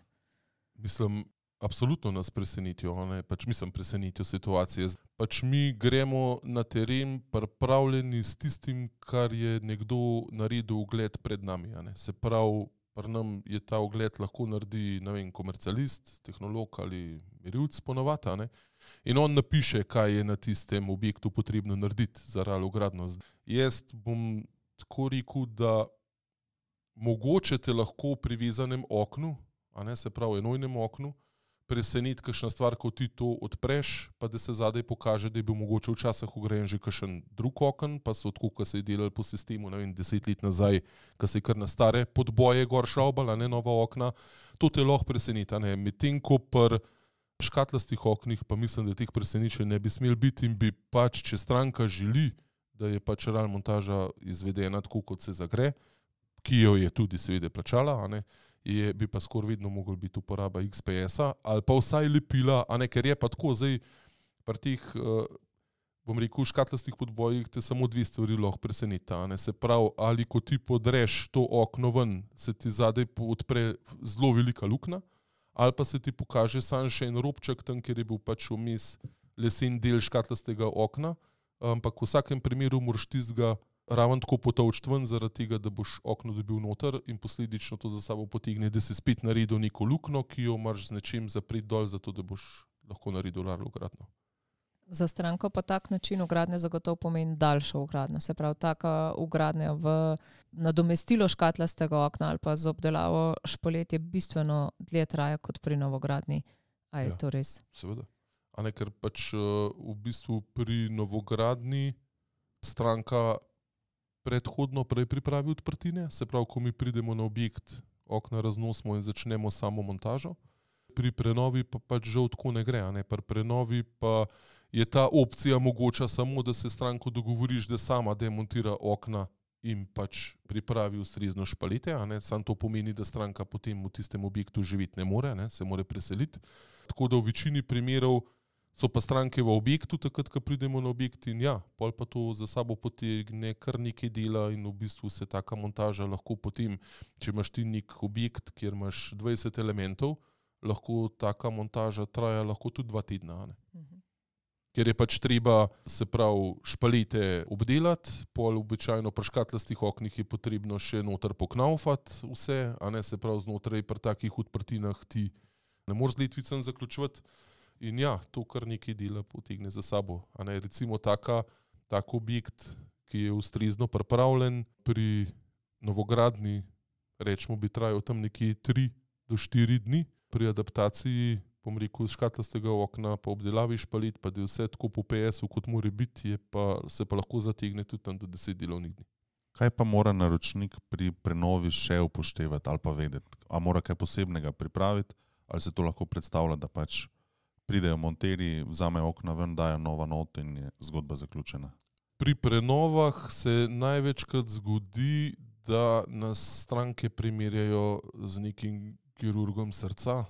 Mislim, absolutno nas presenetijo, ne? Pač mislim, presenetijo situacije. Pač mi gremo na teren pripravljeni s tistim, kar je nekdo naredil ogled pred nami. A ne? Se pravi, pri nam je ta ogled lahko naredi, ne vem, komercialist, tehnolog ali merilc ponovadi, a ne. In on napiše, kaj je na tistem objektu potrebno narediti za RAL ogradno. Jaz bom tako rekel, da mogoče te lahko pri vezanem oknu, a ne, se pravi enojnem oknu, preseneti kakšna stvar, ko ti to odpreš, pa da se zadaj pokaže, da je bil mogoče včasih ugrajen že kakšen drug okn, pa so tako, ko se je delali po sistemu, ne vem, deset let nazaj, ko se je kar na stare podboje gor šraubala, ne, nova okna, to te lahko preseneti, ne, medtem ko pri škatlastih oknih, pa mislim, da teh presenečenj ne bi smel biti in bi pač, če stranka želi, da je pač RAL montaža izvedena tako, kot se zagre, ki jo je tudi seveda plačala, a ne, je, bi pa skoraj vedno mogel biti uporaba X P S-a ali pa vsaj lepila, a ne, ker je pa tako zdaj pri teh, uh, bom rekel, škatlastih podbojih te samo dve stvari lahko preseneta, a ne, se pravi, ali ko ti podreš to okno ven, se ti zadaj odpre zelo velika luknja, ali pa se ti pokaže samo še en robček tam, kjer je bil pač vmes lesen del škatlastega okna, ampak v vsakem primeru moraš tistega raven tako potolčiti ven, zaradi tega, da boš okno dobil noter in posledično to za sabo potegne, da si spet naredil neko luknjo, ki jo moraš z nečim zapreti dol, zato da boš lahko naredil RAL ogradno.
Za stranko pa tak način ogradnje zagotovo pomeni daljšo ogradnjo. Se pravi, taka ogradnja v nadomestilo škatlastega okna ali pa z obdelavo špalet je bistveno dlje traja kot pri novogradnji. A je ja, to res?
Seveda. A ne, ker pač v bistvu pri novogradnji stranka predhodno prej pripravi odprtine, se pravi, ko mi pridemo na objekt, okna raznosimo in začnemo samo montažo. Pri prenovi pa pač žal tako ne gre, ne? Pri prenovi pa je ta opcija mogoča samo, da se stranko dogovoriš, da sama demontira okna in pač pripravi ustrezno špalete, a ne? Sam to pomeni, da stranka potem v tistem objektu živeti ne more, ne? Se more preseliti. Tako da v večini primerov so pa stranke v objektu, takrat, ko pridemo na objekt in ja, pol pa to za sabo potegne kar nekaj dela in v bistvu se taka montaža lahko potem, če imaš ti nek objekt, kjer imaš dvajset elementov, lahko taka montaža traja lahko tudi dva tedna, ne? Mhm. Ker je pač treba, se pravi, špalete obdelati, pol običajno pri škatlastih oknih je potrebno še noter poknaufati vse, a ne, se pravi, znotraj pri takih odprtinah ti ne moreš z letvicem zaključevati. In ja, to kar nekaj dela potegne za sabo. A ne, recimo taka, tak objekt, ki je ustrezno pripravljen, pri novogradnji, rečemo, bi trajal tam nekje tri do štiri dni, pri adaptaciji, bom rekel, škatlastega okna, pa obdelavi špalit, pa da je vse tako po P S-u, kot mora biti, je pa, se pa lahko zategne tudi tam do deset delovnih dni.
Kaj pa mora naročnik pri prenovi še upoštevati ali pa vedeti? A mora kaj posebnega pripraviti, ali se to lahko predstavlja, da pač pridejo monterji, vzamejo okna ven, dajo nova not in je zgodba zaključena?
Pri prenovah se največkrat zgodi, da nas stranke primerjajo z nekim kirurgom srca,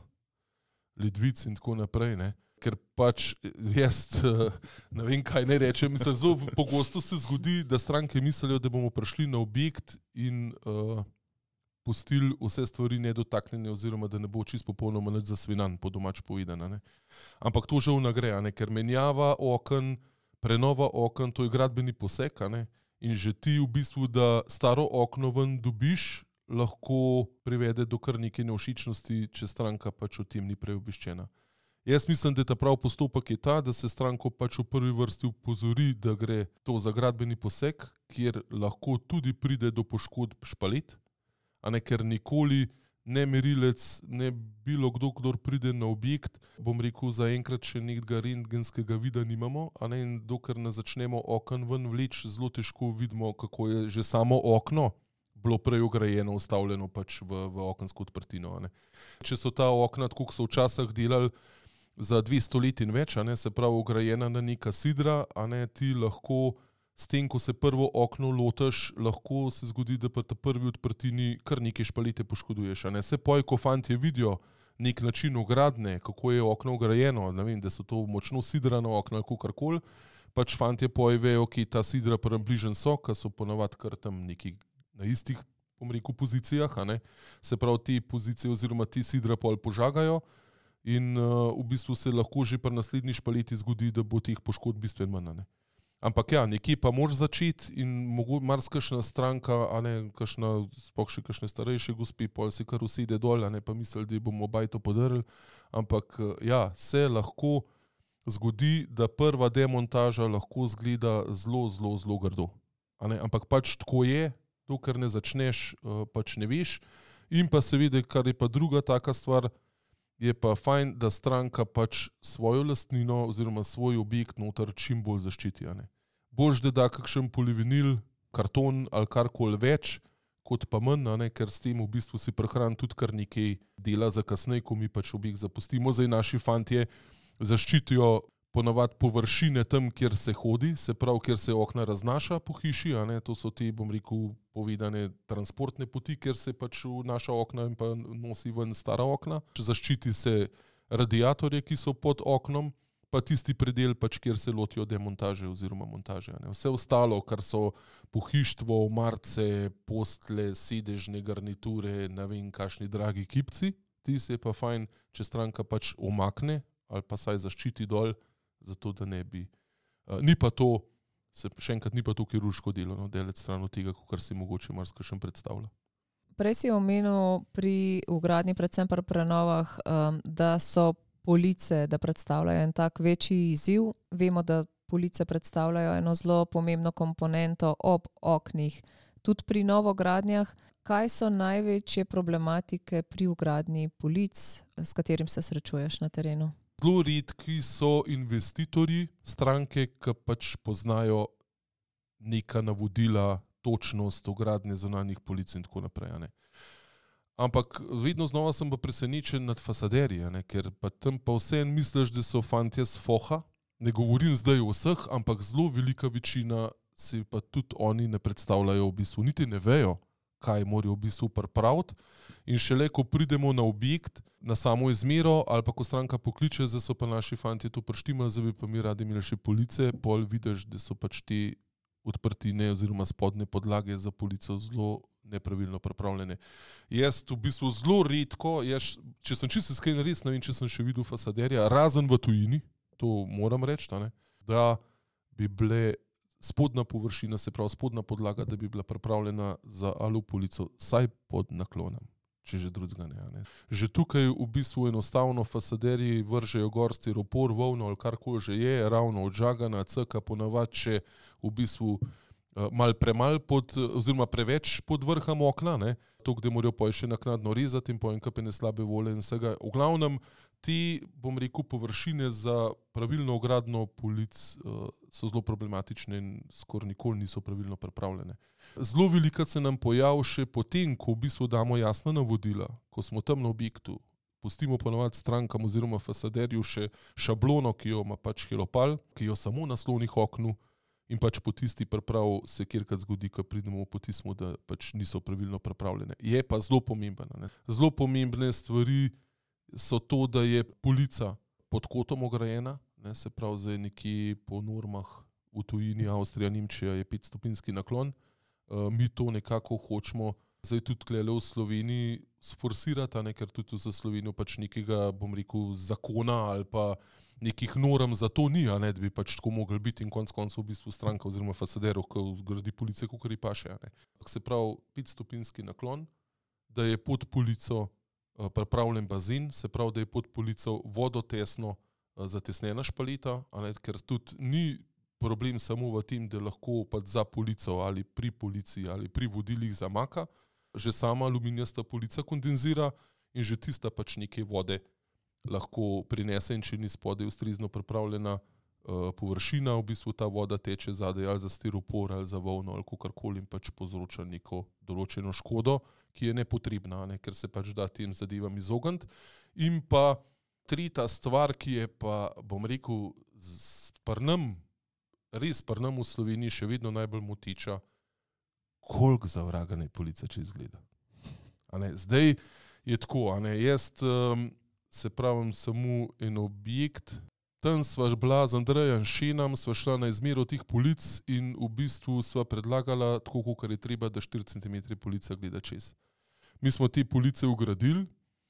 ledvic in tako naprej, ne? Ker pač jaz ne vem, kaj ne rečem. Mislim, zelo pogosto se zgodi, da stranke mislijo, da bomo prišli na objekt in uh, pustili vse stvari nedotaknjene oziroma da ne bo čisto popolnoma nič zasvinan, po domač povedano, ne. Ampak to žal ne gre, ne, ker menjava oken, prenova oken, to je gradbeni poseg, ne, in že ti v bistvu, da staro okno ven dobiš, lahko privede do kar neke nevšečnosti, če stranka pač o tem ni prej obveščena. Jaz mislim, da ta prav postopek je ta, da se stranko pač v prvi vrsti upozori, da gre to za gradbeni poseg, kjer lahko tudi pride do poškodb špalet, a ne, ker nikoli ne merilec, ne bilo kdo, kdor pride na objekt, bom rekel, zaenkrat še nekega rentgenskega vida nimamo, a ne, in dokler ne začnemo oken ven vleč, zelo težko vidimo, kako je že samo okno bilo prej ograjeno, ustavljeno pač v, v okensko odprtino, a ne. Če so ta okna, tako kot so včasih delali, za dvesto let in več, a ne, se pravi ograjena na neka sidra, a ne, ti lahko s tem, ko se prvo okno lotaš, lahko se zgodi, da pa ta prvi odprtini kar neke špalete poškoduješ, a ne. Se poj, ko fantje vidijo nek način ogradne, kako je okno ograjeno, ne vem, da so to močno sidrana okna ali kakorkoli, pač fantje poj vejo, ki ta sidra približen so, ka so ponavadi kar tam neki na istih, bom rekel, pozicijah, a ne. Se pravi, te pozicije oziroma te sidra pol požagajo in uh, v bistvu se lahko že pri naslednji špaleti zgodi, da bo teh poškodb bistveno manj, a ne. Ampak ja, nekje pa moraš začeti in mogoče marsikakšna stranka, a ne, kakšna, sploh še kakšne starejše gospe, pol se kar usede dol, a ne, pa misli, da bomo bajto podrli, ampak ja, se lahko zgodi, da prva demontaža lahko zgleda zelo, zelo, zelo grdo, a ne, ampak pač tako je, dokler ne začneš, pač ne veš. In pa seveda, kar je pa druga taka stvar, je pa fajn, da stranka pač svojo lastnino oziroma svoj objekt noter čim bolj zaščiti, a ne. Boljš, da da kakšen polivinil, karton ali karkoli več, kot pa manj, a ne, ker s tem v bistvu si prehran tudi kar nekaj dela za kasneje, ko mi pač objekt zapustimo. Zdaj naši fantje zaščitijo ponavadi površine tam, kjer se hodi, se pravi, kjer se okna raznaša po hiši, a ne, to so te, bom rekel, povedane transportne poti, kjer se pač naša okna in pa nosi ven stara okna. Zaščiti se radiatorje, ki so pod oknom, pa tisti predel, pač, kjer se lotijo demontaže oziroma montaže, a ne. Vse ostalo, kar so pohištvo, marce, postle, sedežne garniture, ne vem, kakšni dragi kipci, ti se je pa fajn, če stranka pač omakne ali pa saj zaščiti dol, zato da ne bi. Uh, ni pa to, se, še enkrat, ni pa to kirurško delo, no, delec stran od tega, kar si mogoče marsikaj predstavlja.
Prej si omenil pri vgradnji, predvsem pri prenovah, um, da so police, da predstavljajo en tak večji izziv. Vemo, da police predstavljajo eno zelo pomembno komponento ob oknih, tudi pri novogradnjah. Kaj so največje problematike pri vgradnji polic, s katerim se srečuješ na terenu?
Zelo redki so investitorji, stranke, ki pač poznajo neka navodila, točnost, ogradnje zunanjih polic in tako naprej. Ne. Ampak vedno znova sem pa presenečen nad fasaderji, ne, ker pa tam pa vseeno misliš, da so fantje s foha. Ne govorim zdaj o vseh, ampak zelo velika večina si pa tudi oni ne predstavljajo v bistvu, niti ne vejo, kaj morajo v bistvu pripraviti. In šele, ko pridemo na objekt, na samo izmero, ali pa ko stranka pokliče, da so pa naši fantje to prištimali, da bi pa mi radi imeli še police, pol vidiš, da so pač te odprtine oziroma spodne podlage za polico zelo nepravilno pripravljene. Jaz v bistvu zelo redko, jaz, če sem čisto iskren, res ne vem, če sem še videl fasaderja, razen v tujini, to moram reči, da bi bile spodna površina, se pravi spodna podlaga, da bi bila pripravljena za alupolico, saj pod naklonom, če že drugega ne, ne. Že tukaj v bistvu enostavno fasaderji vržejo gor stiropor, volno ali karkoli že je, ravno odžagana, cka ponavadi še v bistvu uh, mal premal pod, oziroma preveč pod vrhom okna, ne, to, kde morajo pa še naknadno rezati in po enkapene slabe vole in vsega. V glavnem, ti, bom rekel, površine za pravilno ogradno polic uh, so zelo problematične in skoraj nikoli niso pravilno pripravljene. Zelo veliko se nam pojavi še potem, ko v bistvu damo jasna navodila, ko smo tam na objektu, pustimo ponovadi strankam oziroma fasaderju še šablono, ki jo ima pač helopal, ki jo samo naslovnih oknu in pač po tisti priprav se kjerkrat zgodi, ko pridemo po tismu, da pač niso pravilno pripravljene. Je pa zelo pomembna. Zelo pomembne stvari so to, da je polica pod kotom ograjena, ne, se pravi zdaj nekje po normah v tujini, Avstrija, Nemčija je petstopinjski naklon. Uh, mi to nekako hočemo zdaj tudi tlele v Sloveniji sforsirati, ne, ker tudi za Slovenijo pač nekega, bom rekel, zakona ali pa nekih norm za to ni, a ne, da bi pač tako mogli biti in konc koncev v bistvu stranka oziroma fasaderov, ko zgradi police, kakor ji paše. Se pravi petstopinjski naklon, da je pod polico uh, pripravljen bazen, se pravi, da je pod polico vodotesno uh, zatesnjena špaleta, a ne, ker tudi ni problem samo v tem, da lahko pač za polico ali pri polici ali pri vodilih zamaka, že sama aluminijasta polica kondenzira in že tista pač neke vode lahko prinese in če ni spodaj ustrezno pripravljena uh, površina, v bistvu ta voda teče zadaj ali za stiropor ali za volno ali kakorkoli in pač povzroča neko določeno škodo, ki je nepotrebna, ne, ker se pač da tem zadevam izogniti. In pa tretja stvar, ki je pa, bom rekel, sprnem, res pa nam v Sloveniji še vedno najbolj motiča, koliko za vraga naj polica če izgleda. A ne, zdaj je tako, a ne, jaz um, se pravim samo en objekt, tam sva bila z Andrejem Šenom, sva šla na izmero teh polic in v bistvu sva predlagala, tako kakor je treba, da štiri centimetre polica gleda čez. Mi smo te police ugradili,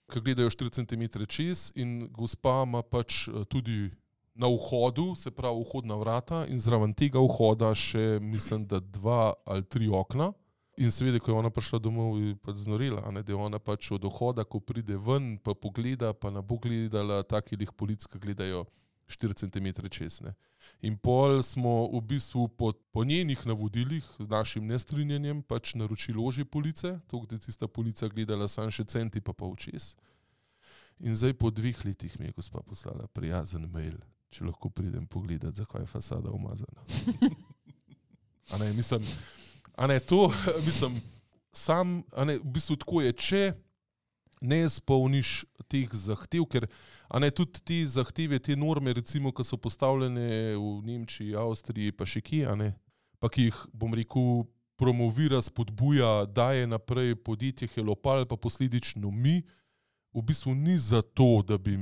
ki gledajo štiri centimetre čez in gospa ima pač tudi na vhodu, se pravi vhodna vrata in zraven tega vhoda še, mislim, da dva ali tri okna. In seveda, ko je ona prišla domov, je pač znorela, ne, da je ona pač od vhoda, ko pride ven, pa pogleda, pa ne bo gledala takih polic, ki gledajo štiri centimetre čez. Ne. In pol smo v bistvu po, po njenih navodilih, z našim nestrinjanjem, pač naročili ožje police, to, da je tista polica gledala samo še centi pa pol čez. In zdaj po dveh letih mi je gospa poslala prijazen mail, če lahko pridem pogledati, zakaj je fasada umazana. A ne, mislim, a ne, to, mislim, sam, a ne, v bistvu tako je, če ne izpolniš teh zahtev, ker, a ne, tudi te zahteve, te norme, recimo, ki so postavljene v Nemčiji, Avstriji, pa še kje, a ne, pa ki jih, bom rekel, promovira, spodbuja, daje naprej podjetje Helopal, pa posledično mi, v bistvu ni zato, da bi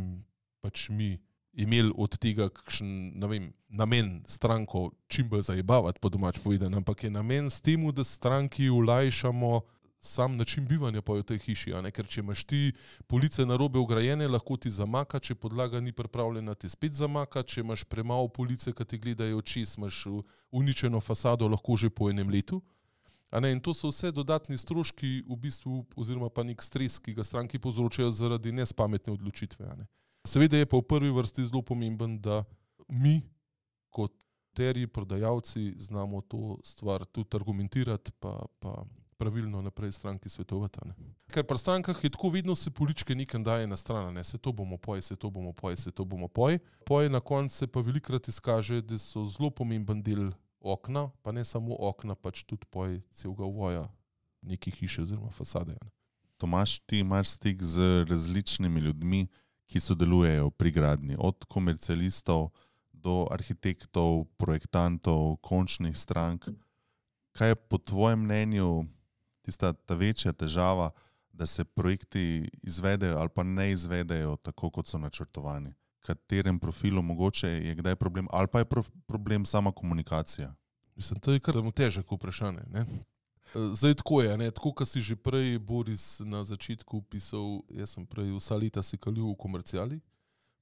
pač mi imeli od tega kakšen, ne vem, namen stranko čim bolj zajebavati, po domač povedano, ampak je namen s temu, da stranki olajšamo sam način bivanja pa v tej hiši, a ne, ker če imaš ti police narobe vgrajene, lahko ti zamaka, če podlaga ni pripravljena, ti spet zamaka, če imaš premalo police, ki ti gledajo čez, imaš uničeno fasado lahko že po enem letu. A ne, in to so vse dodatni stroški v bistvu, oziroma pa nek stres, ki ga stranki povzročajo zaradi nespametne odločitve. A ne. Seveda je pa v prvi vrsti zelo pomemben, da mi kot terji prodajalci znamo to stvar tudi argumentirati pa, pa pravilno naprej stranki svetovati. Ne. Ker pri strankah je tako, vedno se poličke nekam daje na stran, ne, se to bomo poj, se to bomo poj, se to bomo poj. Poj na koncu se pa velikrat izkaže, da so zelo pomemben del okna, pa ne samo okna, pač tudi poj celega voja neke hiše oziroma fasade. Ne.
Tomaž, ti imaš stik z različnimi ljudmi, ki sodelujejo pri gradnji, od komercialistov do arhitektov, projektantov, končnih strank. Kaj je po tvojem mnenju tista ta večja težava, da se projekti izvedejo ali pa ne izvedejo tako, kot so načrtovani? Katerem profilu mogoče je kdaj problem, ali pa je problem sama komunikacija?
Mislim, to je kar težko vprašanje. Ne? Zdaj tako je, ne? Tako, kot si že prej, Boris, na začetku pisal, jaz sem prej vsa leta se kalil v komercijali,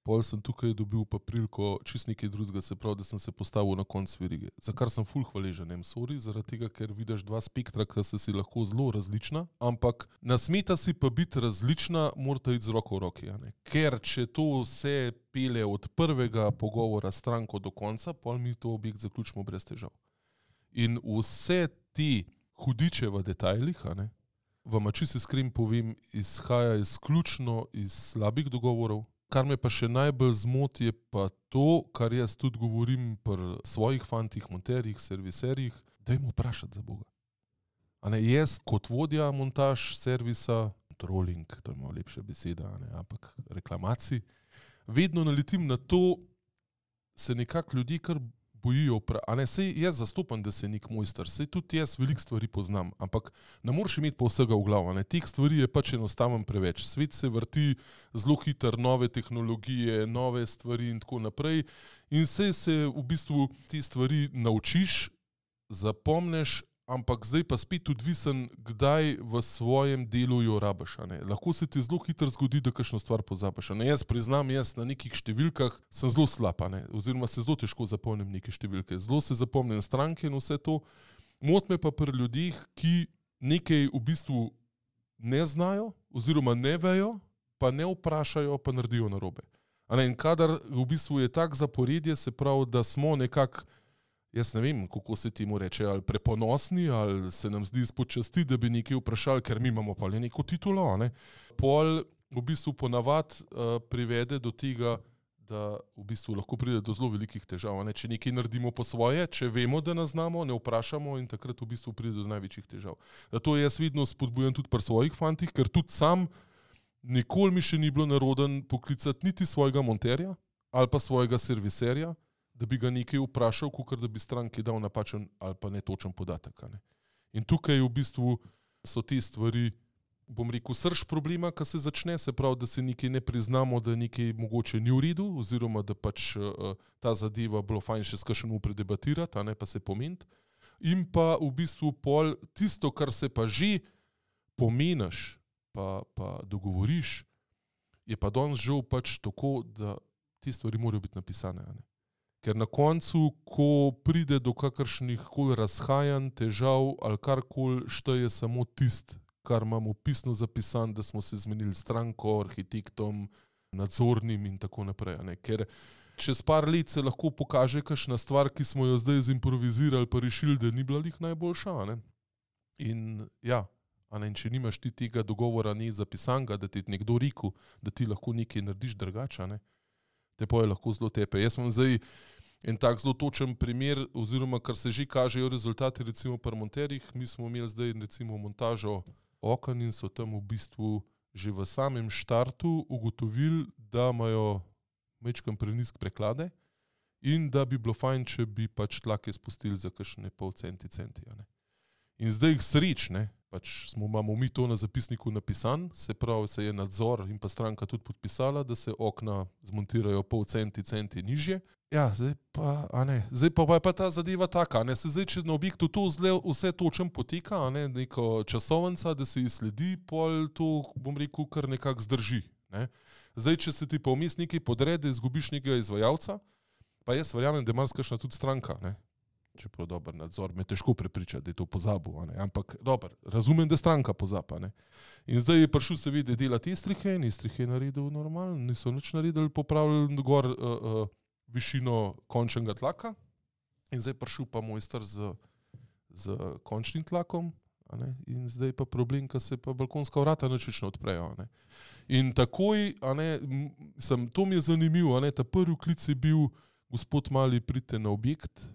pol sem tukaj dobil pa priliko čist nekaj drugega, se pravi, da sem se postavil na konc verige. Za kar sem ful hvaležen, nem sorry, zaradi tega, ker vidiš dva spektra, ki se si lahko zelo različna, ampak nasmeta si pa biti različna, morata iti z roko v roki. Ne? Ker če to vse pele od prvega pogovora stranko do konca, pol mi to objekt zaključimo brez težav. In vse ti hudiče v detajlih, a ne, vam čisto iskren povem, izhaja izključno iz slabih dogovorov. Kar me pa še najbolj zmoti je pa to, kar jaz tudi govorim pri svojih fantih, monterjih, serviserjih, dajmo vprašati za Boga. A ne, jaz kot vodja montaž, servisa, trolling, to je malo lepša beseda, a ne, ampak reklamacij, vedno naletim na to, se nekako ljudje kar bojijo, a ne, sej jaz zastopam, da se nek mojster, sej tudi jaz veliko stvari poznam, ampak ne moreš imeti pa vsega v glavu, ne, teh stvari je pač enostavno preveč. Svet se vrti zelo hitro, nove tehnologije, nove stvari in tako naprej in sej se v bistvu te stvari naučiš, zapomneš, ampak zdaj pa spet odvisen, kdaj v svojem delu jo rabiš. Ne. Lahko se ti zelo hitro zgodi, da kakšno stvar pozabiš. Ne. Jaz priznam, jaz na nekih številkah sem zelo slab, ne. Oziroma se zelo težko zapomnim neke številke. Zelo se zapomnim stranke in vse to. Mot me pa pri ljudeh, ki nekaj v bistvu ne znajo oziroma ne vejo, pa ne vprašajo, pa naredijo narobe. A ne. In kadar v bistvu je tak zaporedje, se pravi, da smo nekako, jaz ne vem, kako se ti mu reče, ali preponosni, ali se nam zdi izpod časti, da bi nekaj vprašali, ker mi imamo pa le neko titulo. Ne? Pol v bistvu ponavad uh, privede do tega, da v bistvu lahko pride do zelo velikih težav. Ne? Če nekaj naredimo po svoje, če vemo, da nas znamo, ne vprašamo in takrat v bistvu pride do največjih težav. Zato jaz vedno spodbujam tudi pri svojih fantih, ker tudi sam nikoli mi še ni bilo naroden poklicati niti svojega monterja ali pa svojega serviserja, da bi ga nekaj vprašal, kakor da bi stranki dal napačen ali pa netočen podatek. Ne. In tukaj v bistvu so te stvari, bom rekel, srž problema, ki se začne, se pravi, da se nekaj ne priznamo, da nekaj mogoče ni v redu, oziroma da pač uh, ta zadeva bilo fajn še s kakšnim predebatirati, a ne pa se pomeniti. In pa v bistvu pol tisto, kar se pa že pomeniš, pa, pa dogovoriš, je pa danes žal pač tako, da te stvari morajo biti napisane. A ne. Ker na koncu, ko pride do kakršnih koli razhajanj, težav ali karkoli, šteje samo tist, kar imamo pisno zapisan, da smo se zmenili stranko, arhitektom, nadzornim in tako naprej. Ne? Ker čez par let se lahko pokaže kakšna stvar, ki smo jo zdaj zimprovizirali pa rešili, da ni bila lih najboljša. Ne? In ja, a ne, in če nimaš ti tega dogovora ni zapisanga, da ti nekdo rekel, da ti lahko nekaj narediš drugače, ne? Te pa je lahko zelo tepe. Jaz imam zdaj en tak zelo točen primer, oziroma kar se že kažejo rezultati, recimo pri monterjih. Mi smo imeli zdaj recimo montažo oken in so tam v bistvu že v samem štartu ugotovili, da imajo majčkeno prenizke preklade in da bi bilo fajn, če bi pač tlake spustili za kakšne pol centi, centi. Ne? In zdaj jih sreč, ne? Pač smo, imamo mi to na zapisniku napisan, se pravi, se je nadzor in pa stranka tudi podpisala, da se okna zmontirajo pol centi, centi nižje. Ja, zdaj pa, a ne, zdaj pa je pa ta zadeva taka, ne, se zdaj, če na objektu to zle, vse točem poteka, a ne, neko časovnica, da se izsledi, pol to, bom rekel, kar nekako zdrži, ne. Zdaj, če se ti pa vmes nekaj podre, da izgubiš nekega izvajalca, pa jaz verjamem, da je marsikakšna tudi stranka, ne. Čeprav dober nadzor, me težko prepričati, da je to pozabil, a ne? Ampak dober, razumem, da stranka pozaba. Ne? In zdaj je prišel seveda delati estrihe in estrihe je naredil normalno, niso nič naredili, popravili gor uh, uh, višino končnega tlaka in zdaj prišel pa mojster z, z končnim tlakom, a ne? In zdaj pa problem, ko se pa balkonska vrata ničično odprejo. A ne? In takoj, a ne, sem, to mi je zanimivo, a ne? Ta prvi klic je bil, gospod Mali, pridite na objekt,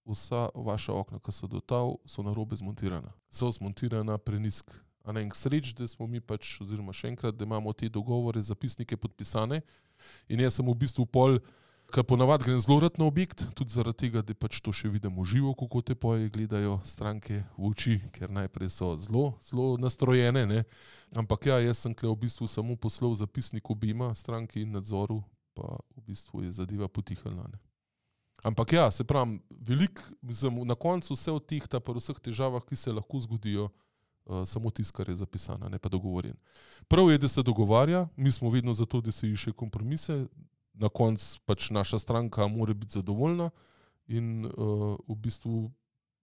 vsa vaša okna, ki so do tal, so narobe zmontirana. So zmontirana prenisk. A ne, k sreč, da smo mi pač, oziroma še enkrat, da imamo te dogovore, zapisnike podpisane in jaz sem v bistvu pol, ker ponavadi grem zelo rad na objekt, tudi zaradi tega, da pač to še vidim v živo, kako te poje gledajo stranke v oči, ker najprej so zelo, zelo nastrojene, ne. Ampak ja, jaz sem tukaj v bistvu samo poslal zapisnik obima stranki in nadzoru, pa v bistvu je zadeva potihnila, ne. Ampak ja, se pravim, veliko, mislim, na koncu vse od teh, pa vseh težavah, ki se lahko zgodijo, Uh, samo tisto, kar je zapisano, ne pa dogovorjen. Prav je, da se dogovarja, mi smo vedno za to, da se išče kompromise, na koncu pač naša stranka mora biti zadovoljna in uh, v bistvu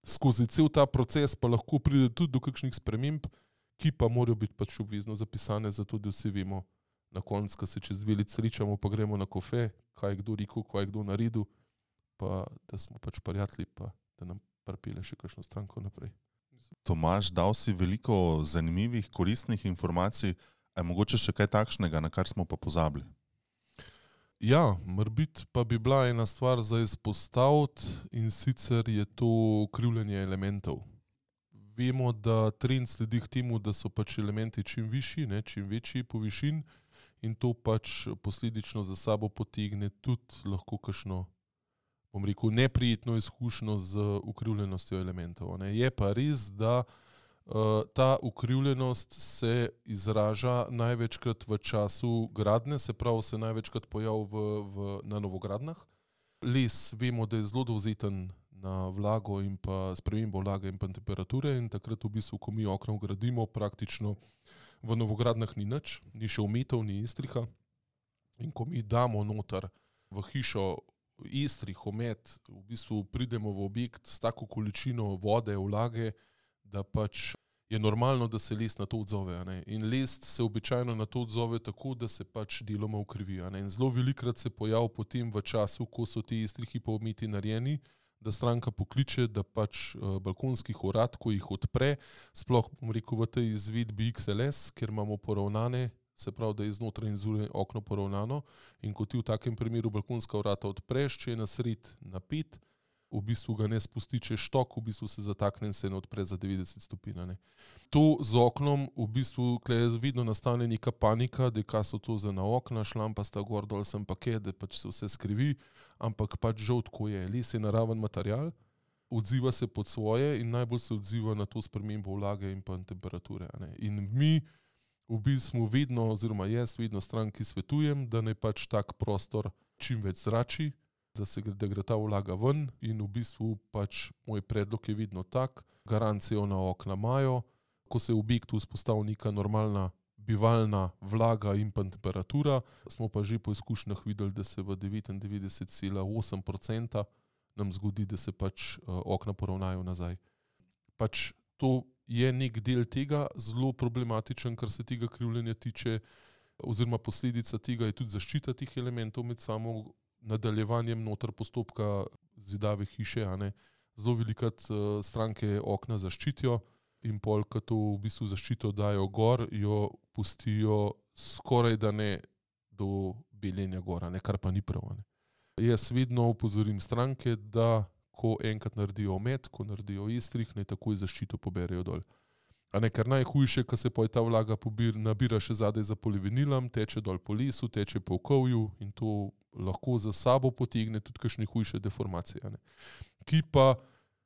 skozi cel ta proces pa lahko pride tudi do kakšnih sprememb, ki pa morajo biti pač obvezno zapisane, zato da vsi vemo na koncu, ko se čez dve leti srečamo, pa gremo na kofe, kaj je kdo rekel, kaj je kdo naredil, pa da smo pač prijatelji, pa da nam pripelje še kakšno stranko naprej.
Tomaž, dal si veliko zanimivih, koristnih informacij, a je mogoče še kaj takšnega, na kar smo pa pozabili?
Ja, morbiti pa bi bila ena stvar za izpostaviti in sicer je to krivljenje elementov. Vemo, da trend sledi k temu, da so pač elementi čim višji, ne, čim večji po višin in to pač posledično za sabo potegne tudi lahko kakšno, bom rekel, neprijetno izkušnjo z ukrivljenostjo elementov. Ne. Je pa res, da uh, ta ukrivljenost se izraža največkrat v času gradnje, se pravi, se največkrat pojavi v, v, na novogradnjah. Les vemo, da je zelo dovzeten na vlago in pa spremembo vlage in pa temperature in takrat v bistvu, ko mi okna vgradimo, praktično v novogradnjah ni nič, ni še umetov, ni estriha. In ko mi damo noter v hišo estrih, omet, v bistvu pridemo v objekt s tako količino vode, vlage, da pač je normalno, da se les na to odzove. Ne? In les se običajno na to odzove tako, da se pač deloma ukrivi. Ne? In zelo velikrat se pojavi potem v času, ko so ti estrihi pa ometi narejeni, da stranka pokliče, da pač uh, balkonskih vrat, ko jih odpre, sploh, bom rekel, v tej izvedbi X L S, ker imamo poravnane, se pravi, da je znotraj in zunaj okno poravnano in ko ti v takem primeru balkonska vrata odpreš, če je na sred napet, v bistvu ga ne spusti čez štok, v bistvu se zatakne in se ne odpre za devetdeset stopinj. To z oknom v bistvu je vedno nastane neka panika, da kaj so to za na okna, šlampasta gor dol sem paket, da pač se vse skrivi, ampak pač žal tako je. Les je naraven material, odziva se pod svoje in najbolj se odziva na to spremembo vlage in pa temperature. In mi v bistvu vedno, oziroma jaz vedno stranki svetujem, da naj pač tak prostor čim več zrači, da se da gre ta vlaga ven in v bistvu pač moj predlog je vedno tak, garancijo na okna imajo, ko se v objektu vzpostavi neka normalna bivalna vlaga in pa temperatura, smo pa že po izkušnjah videli, da se v devetindevetdeset cela osem procenta nam zgodi, da se pač uh, okna poravnajo nazaj. Pač to je nek del tega, zelo problematičen, kar se tega krivljenja tiče, oziroma posledica tega je tudi zaščita teh elementov med samo nadaljevanjem noter postopka zidave hiše. A ne. Zelo velikrat uh, stranke okna zaščitijo in pol, ko to v bistvu zaščito dajo gor, jo pustijo skoraj da ne do beljenja gora, ne, kar pa ni prav. Ne. Jaz vedno upozorim stranke, da ko enkrat naredijo omet, ko naredijo estrih, ne takoj zaščito poberejo dol. A ne, kar najhujše, ko se pa ta vlaga pobir, nabira še zadaj za polivinilom, teče dol po lesu, teče po okovju in to lahko za sabo potegne tudi kakšne hujše deformacije. Ne. Ki pa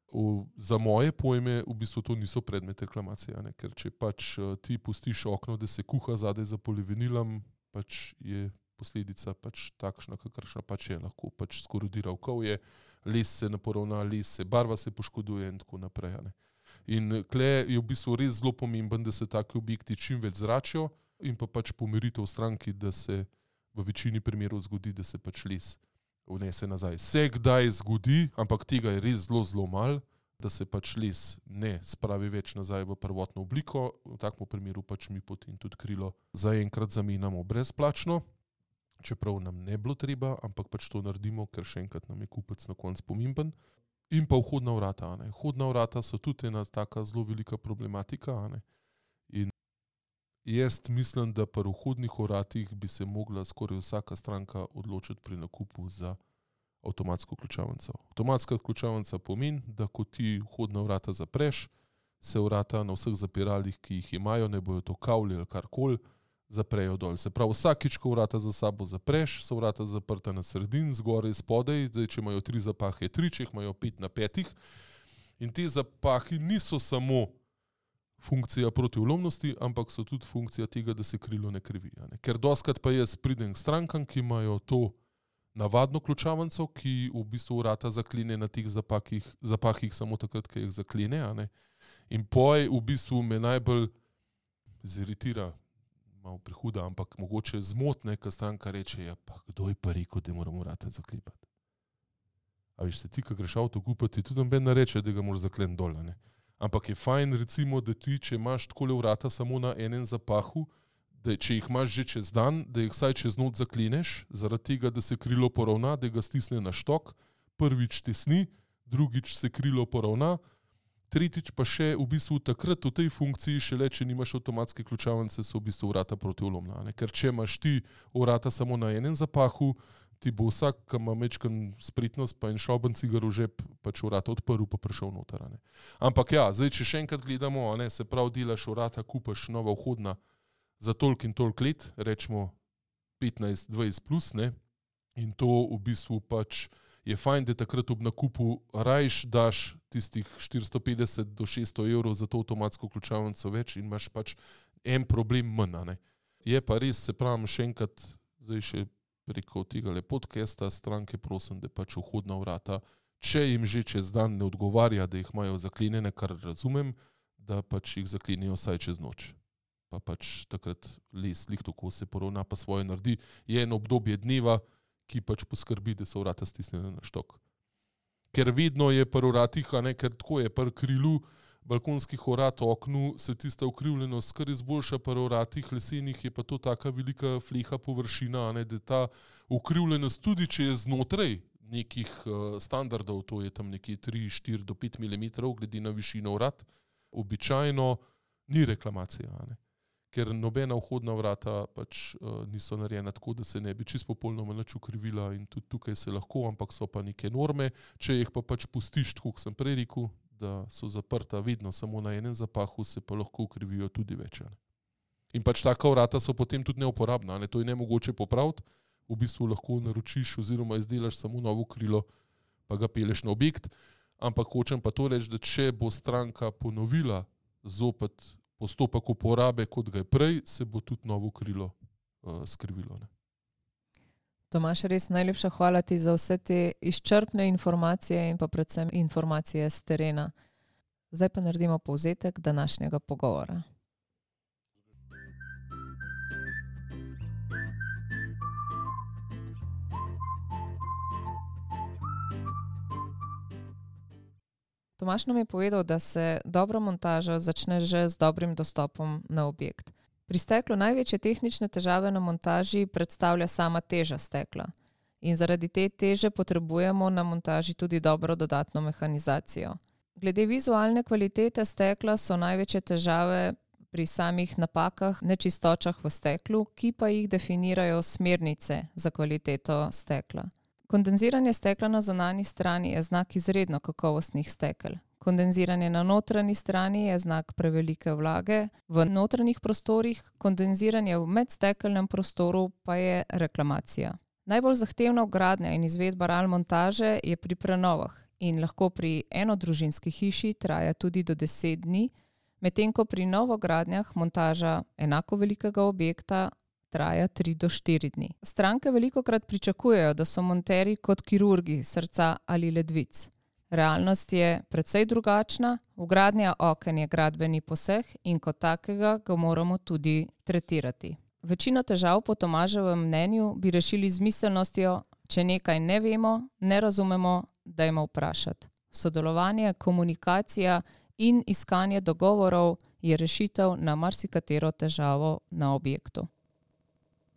v, za moje pojme v bistvu to niso predmet reklamacije, ne. Ker če pač ti pustiš okno, da se kuha zadaj za polivinilom, pač je posledica pač takšna, kakršna pač je, lahko pač skorodira okovje, les se ne poravna, les se, barva se poškoduje in tako naprej. Ne. In kle je v bistvu res zelo pomemben, da se taki objekti čim več zračijo in pa pač pomiritev stranki, da se v večini primerov zgodi, da se pač les vnese nazaj. Se kdaj zgodi, ampak tega je res zelo, zelo malo, da se pač les ne spravi več nazaj v prvotno obliko. V takem primeru pač mi potem tudi krilo zaenkrat zamenjamo brezplačno, čeprav nam ne bilo treba, ampak pač to naredimo, ker še enkrat nam je kupec na koncu pomemben. In pa vhodna vrata. Ne. Vhodna vrata so tudi ena taka zelo velika problematika. Ne. In jaz mislim, da pri vhodnih vratih bi se mogla skoraj vsaka stranka odločiti pri nakupu za avtomatsko ključavnico. Avtomatska ključavnica pomeni, da ko ti vhodna vrata zapreš, se vrata na vseh zapiralih, ki jih imajo, ne bojo to kavli ali karkoli, zaprejo dol. Se pravi, vsakič, ko vrata za sabo zapreš, so vrata zaprta na sredin, zgoraj, spodaj, zdaj, če imajo tri zapahe, tri, če jih imajo pet na petih. In te zapahi niso samo funkcija protivlomnosti, ampak so tudi funkcija tega, da se krilo ne krivi. Ne? Ker doskrat pa jaz pridem k strankam, ki imajo to navadno ključavnico, ki v bistvu vrata zaklene na teh zapahih, zapahih samo takrat, ko jih zaklene. A ne? In poj v bistvu me najbolj ziritira, malo prehuda, ampak mogoče zmotne, ko stranka reče, ja, pa kdo je pa rekel, da moramo vrata zaklepati. A veš, se ti, ko greš avto kupati, tudi noben ne reče, da ga moraš zakleniti dol. Ne? Ampak je fajn, recimo, da ti, če imaš takole vrata samo na enem zapahu, da če jih imaš že čez dan, da jih vsaj čez noč zakleneš, zaradi tega, da se krilo poravna, da ga stisne na štok, prvič tesni, drugič se krilo poravna, tretjič pa še v bistvu takrat v tej funkciji, šele če nimaš avtomatske ključavnice, so v bistvu vrata protivlomna. Ne? Ker če imaš ti vrata samo na enem zapahu, ti bo vsak, ki ima mečkan spretnost pa in šoben cigar v žep, pač vrata odprl pa prišel noter. Ne? Ampak ja, zdaj, če še enkrat gledamo, ne, se prav delaš vrata, kupaš nova vhodna za toliko in toliko let, rečemo petnajst dvajset plus, ne, in to v bistvu pač je fajn, da takrat ob nakupu rajš daš tistih štiristo petdeset do šeststo evrov za to avtomatsko ključavnico več in imaš pač en problem manj. Ne. Je pa res, se pravim, še enkrat, zdaj še preko tega podcasta stranke prosim, da pač vhodna vrata, če jim že čez dan ne odgovarja, da jih imajo zaklenjene, kar razumem, da pač jih zaklenijo vsaj čez noč. Pa pač takrat les, lih tako se poravna, pa svoje naredi. Je eno obdobje dneva, ki pač poskrbi, da so vrata stisnjene na štok. Ker vedno je pri vratih, a ne, ker tako je pri krilu balkonskih vrat, oknu, se tista ukrivljenost kar izboljša, pri vratih lesenih je pa to taka velika fleha površina, a ne, da ta ukrivljenost tudi, če je znotraj nekih uh, standardov, to je tam nekje tri, štiri do pet milimetrov, glede na višino vrat, običajno ni reklamacija, a ne. Ker nobena vhodna vrata pač uh, niso narejena tako, da se ne bi čisto popolnoma nič ukrivila in tudi tukaj se lahko, ampak so pa neke norme, če jih pa pač pustiš, tako kot sem prej rekel, da so zaprta vedno samo na enem zapahu, se pa lahko ukrivijo tudi več. Ne. In pač taka vrata so potem tudi neuporabna, ne. To je nemogoče popraviti, v bistvu lahko naročiš oziroma izdelaš samo novo krilo, pa ga peleš na objekt, ampak hočem pa to reči, da če bo stranka ponovila zopet postopek uporabe, kot ga je prej, se bo tudi novo krilo uh, skrivilo. Ne.
Tomaž, res najlepša hvala ti za vse te izčrpne informacije in pa predvsem informacije z terena. Zdaj pa naredimo povzetek današnjega pogovora. Tomaž nam je povedal, da se dobra montaža začne že z dobrim dostopom na objekt. Pri steklu največje tehnične težave na montaži predstavlja sama teža stekla. In zaradi te teže potrebujemo na montaži tudi dobro dodatno mehanizacijo. Glede vizualne kvalitete stekla so največje težave pri samih napakah, nečistočah v steklu, ki pa jih definirajo smernice za kvaliteto stekla. Kondenziranje stekla na zunanji strani je znak izredno kakovostnih stekel. Kondenziranje na notranji strani je znak prevelike vlage. V notranjih prostorih kondenziranje v medstekelnem prostoru pa je reklamacija. Najbolj zahtevna vgradnja in izvedba R A L montaže je pri prenovah in lahko pri enodružinski hiši traja tudi do deset dni, medtem ko pri novogradnjah montaža enako velikega objekta traja tri do štiri dni. Stranke velikokrat pričakujejo, da so monterji kot kirurgi srca ali ledvic. Realnost je precej drugačna, vgradnja oken je gradbeni poseg in kot takega ga moramo tudi tretirati. Večino težav po Tomaževem mnenju bi rešili z miselnostjo, če nekaj ne vemo, ne razumemo, dajmo vprašati. Sodelovanje, komunikacija in iskanje dogovorov je rešitev na marsikatero težavo na objektu.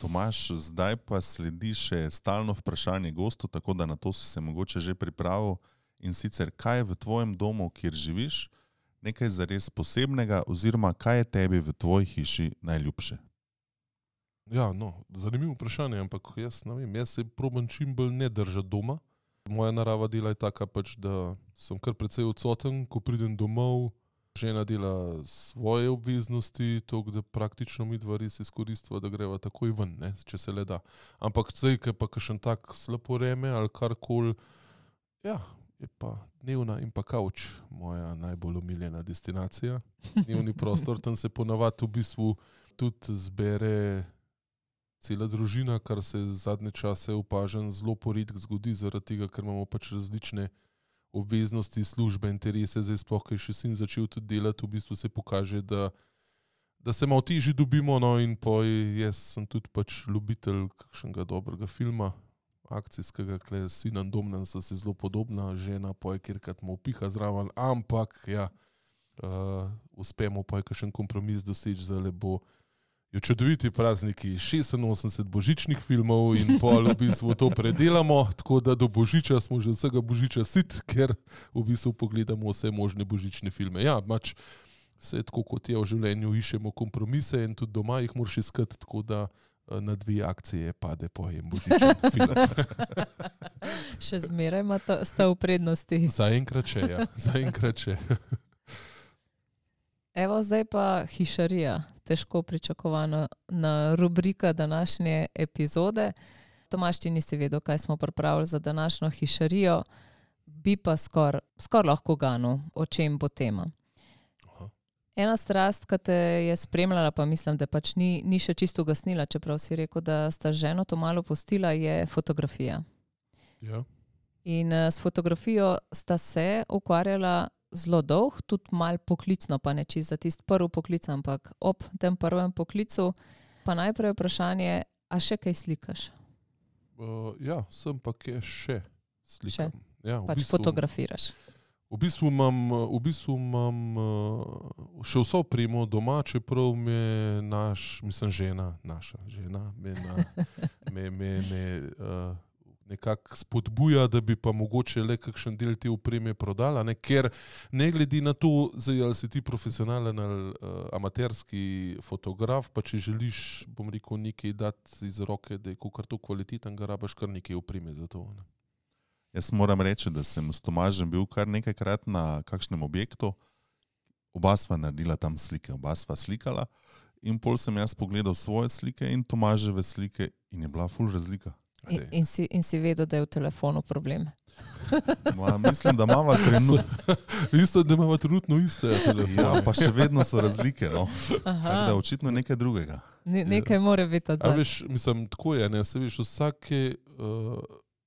Tomaž, zdaj pa sledi še stalno vprašanje gostu, tako da na to si se mogoče že pripravil. In sicer, kaj je v tvojem domu, kjer živiš, nekaj zares posebnega oziroma kaj je tebi v tvoji hiši najljubše?
Ja, no, zanimivo vprašanje, ampak jaz ne vem, jaz se probam čim bolj ne držati doma. Moja narava dela je taka pač, da sem kar precej odsoten, ko pridem domov, žena dela svoje obveznosti, to, da praktično mi dva res izkoristva, da greva takoj ven, ne, če se le da. Ampak zdaj, ker pa kakšen tak slabo vreme ali karkoli, ja, je pa dnevna in pa kavč moja najbolj omiljena destinacija. Dnevni prostor, tam se ponavadi v bistvu tudi zbere cela družina, kar se zadnje čase opažam zelo poredko zgodi, zaradi tega, ker imamo pač različne obveznosti, službe, interese, zdaj sploh, ker še sin začel tudi delati, v bistvu se pokaže, da, da se malo težje dobimo, no in poj, jaz sem tudi pač ljubitelj kakšnega dobrega filma, akcijskega, kle s sinom Domnem so se zelo podobna, žena poj, kjerkrat mu piha zraven, ampak ja, uh, uspemo poj kakšen kompromis doseči, zdaj bo jo čudoviti prazniki, šestinosemdeset božičnih filmov in pol v bistvu to predelamo, tako da do božiča smo že vsega božiča sit, ker v bistvu pogledamo vse možne božične filme. Ja, mač se tako kot je v življenju, iščemo kompromise in tudi doma jih moraš iskati, tako da na dve akcije pade po en božičen film.
Še zmeraj ima to, sta v prednosti.
Zaenkrat še, ja. Zaenkrat še.
Evo, zdaj pa hišarija, težko pričakovana na rubrika današnje epizode. Tomaž, ti nisi vedel, kaj smo pripravili za današnjo hišarijo, bi pa skor, skor lahko ganil, o čem bo tema. Aha. Ena strast, ki te je spremljala, pa mislim, da pač ni, ni še čisto ugasnila, čeprav si rekel, da sta ženo to malo pustila, je fotografija.
Ja.
In s fotografijo sta se ukvarjala zelo dolg, tudi malo poklicno, pa ne čisto za tisti prvi poklic, ampak ob tem prvem poklicu. Pa najprej vprašanje, a še kaj slikaš?
Uh, ja, sem pa kaj še slikam.
Še?
Ja, v
pač
bistvu,
fotografiraš.
V bistvu imam, v bistvu imam uh, še vso opremo doma, čeprav me naš, mislim žena, naša žena, me, na, me, me, me uh, nekako spodbuja, da bi pa mogoče le kakšen del te opreme prodala, ne? Ker ne glede na to, zdaj, ali si ti profesionalen ali uh, amaterski fotograf, pa če želiš, bom rekel, nekaj dati iz roke, da je kakor to kvaliteten, ga rabaš kar nekaj opreme za to. Ne?
Jaz moram reči, da sem s Tomažem bil kar nekajkrat na kakšnem objektu, oba sva naredila tam slike, oba sva slikala in pol sem jaz pogledal svoje slike in Tomaževe slike in je bila ful razlika.
In, in, si, in si vedel, da je v telefonu problem.
Ma, mislim, da imava trenutno
Mislim, da imava trenutno iste telefone.
Ja, pa še vedno so razlike, no. Tako da očitno nekaj drugega.
Ne, nekaj ja. Mora biti odzad.
A veš, mislim, tako je, ne, se veš, vsake uh,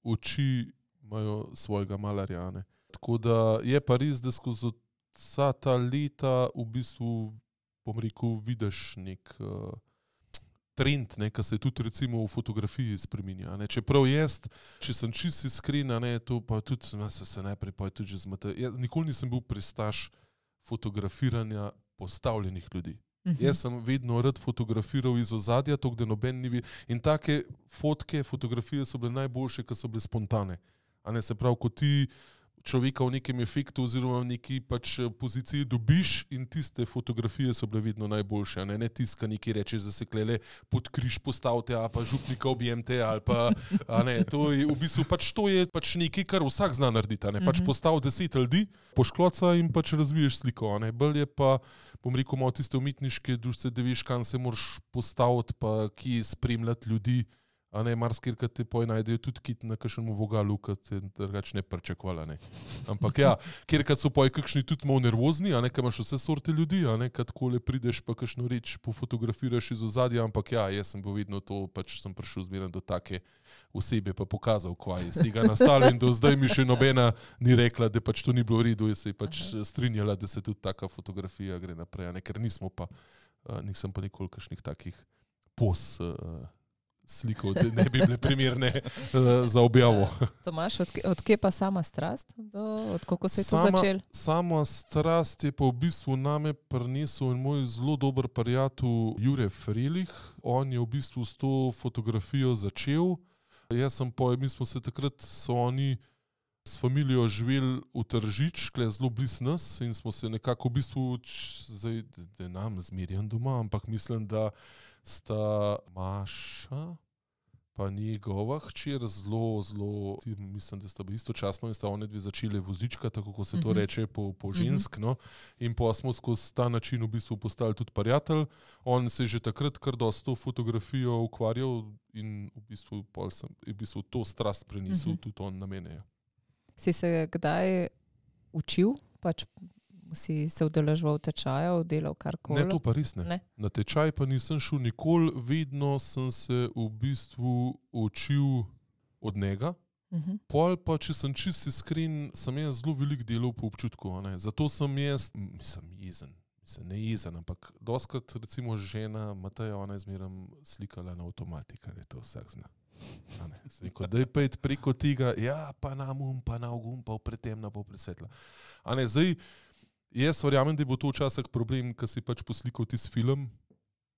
oči imajo svojega malarja, ne. Tako da je pa res, da skozi vsa ta leta v bistvu, bom rekel, vidiš nek uh, trend, ne, ki se tudi recimo v fotografiji spreminja. Ne. Čeprav jaz, če sem čisto iskren, ne, to pa tudi, ne, se, se najprej pa tudi že zmete. Jaz nikoli nisem bil pristaš fotografiranja postavljenih ljudi. Uh-huh. Jaz sem vedno rad fotografiral iz ozadja, to, da noben ni videl. In take fotke, fotografije so bile najboljše, ki so bile spontane. A ne, se pravi, ko ti človeka v nekem efektu oziroma v neki pač poziciji dobiš in tiste fotografije so bile vedno najboljše, a ne, ne tiska nekaj reče, da se klele pod križ postavite, a pa župnika objemte, ali pa, a ne, to je v bistvu pač to je pač nekaj, kar vsak zna narediti, a ne, pač postav deset ljudi, poškloca in pač razviješ sliko, a ne, bolj je pa, bom rekel, malo tiste umetniške dušce, da veš, kam se moraš postaviti, pa kje spremljati ljudi, a ne, marsikaj, kad te poj najdejo tudi kit na kakšnemu vogalu, kad te drugač ne pričakovala, ne. Ampak ja, kjer kad so poj kakšni tudi malo nervozni, a ne, kad imaš vse sorte ljudi, a ne, kad kole prideš pa kakšno reč pofotografiraš iz ozadja, ampak ja, jaz sem bil vedno to, pač sem prišel zmeraj do take osebe, pa pokazal, kva je z tega nastalo in do zdaj mi še nobena ni rekla, da pač to ni bilo v redu, jaz se je pač strinjala, da se tudi taka fotografija gre naprej, a ne, ker nismo pa, nisem pa nikoli kakšnih takih pos slikov, da ne bi bile primerne uh, za objavo.
Tomaž, od, od kje pa sama strast? Do, od kako se je to
sama,
začel?
Sama strast je pa v bistvu name prinesel moj zelo dober prijatelj Jure Frelih. On je v bistvu s to fotografijo začel. Jaz sem pa, mi smo se takrat, so oni s familijo živeli v Tržič, kle zelo blizu nas in smo se nekako v bistvu, zdaj, da nam zmerjam doma, ampak mislim, da sta Maša, pa njegova hčer zelo, zelo, mislim, da sta bili istočasno in sta one dve začeli vozička, tako kot se to
Mhm.
reče po, po žensk, no. In pa smo skozi ta način v bistvu postali tudi prijatelj. On se je že takrat kar dosti s to fotografijo ukvarjal in v bistvu, pol sem, v bistvu to strast prenesel
Mhm.
tudi on na mene. Ja.
Si se kdaj učil, pač si se udeleževal tečajev, delal karkoli?
Ne, to pa res ne.
Ne.
Na tečaj pa nisem šel nikoli, vedno sem se v bistvu učil od njega.
Mhm.
Pol pa, če sem čisto iskren, sem jaz zelo veliko delal po občutku. a ne. Zato sem jaz, mislim, jezen. Mislim, ne jezen, ampak doskrat recimo žena Mateja, ona je zmeraj slikala na avtomatik, ali to vsak zna. A ne. Sem rekel, daj pa iti preko tega, ja, pa na um, pa na ogum, pa pretemna, pa presvetla. A ne, zdaj, jaz verjamem, da bo to včasih problem, ko si pač poslikal tisti film,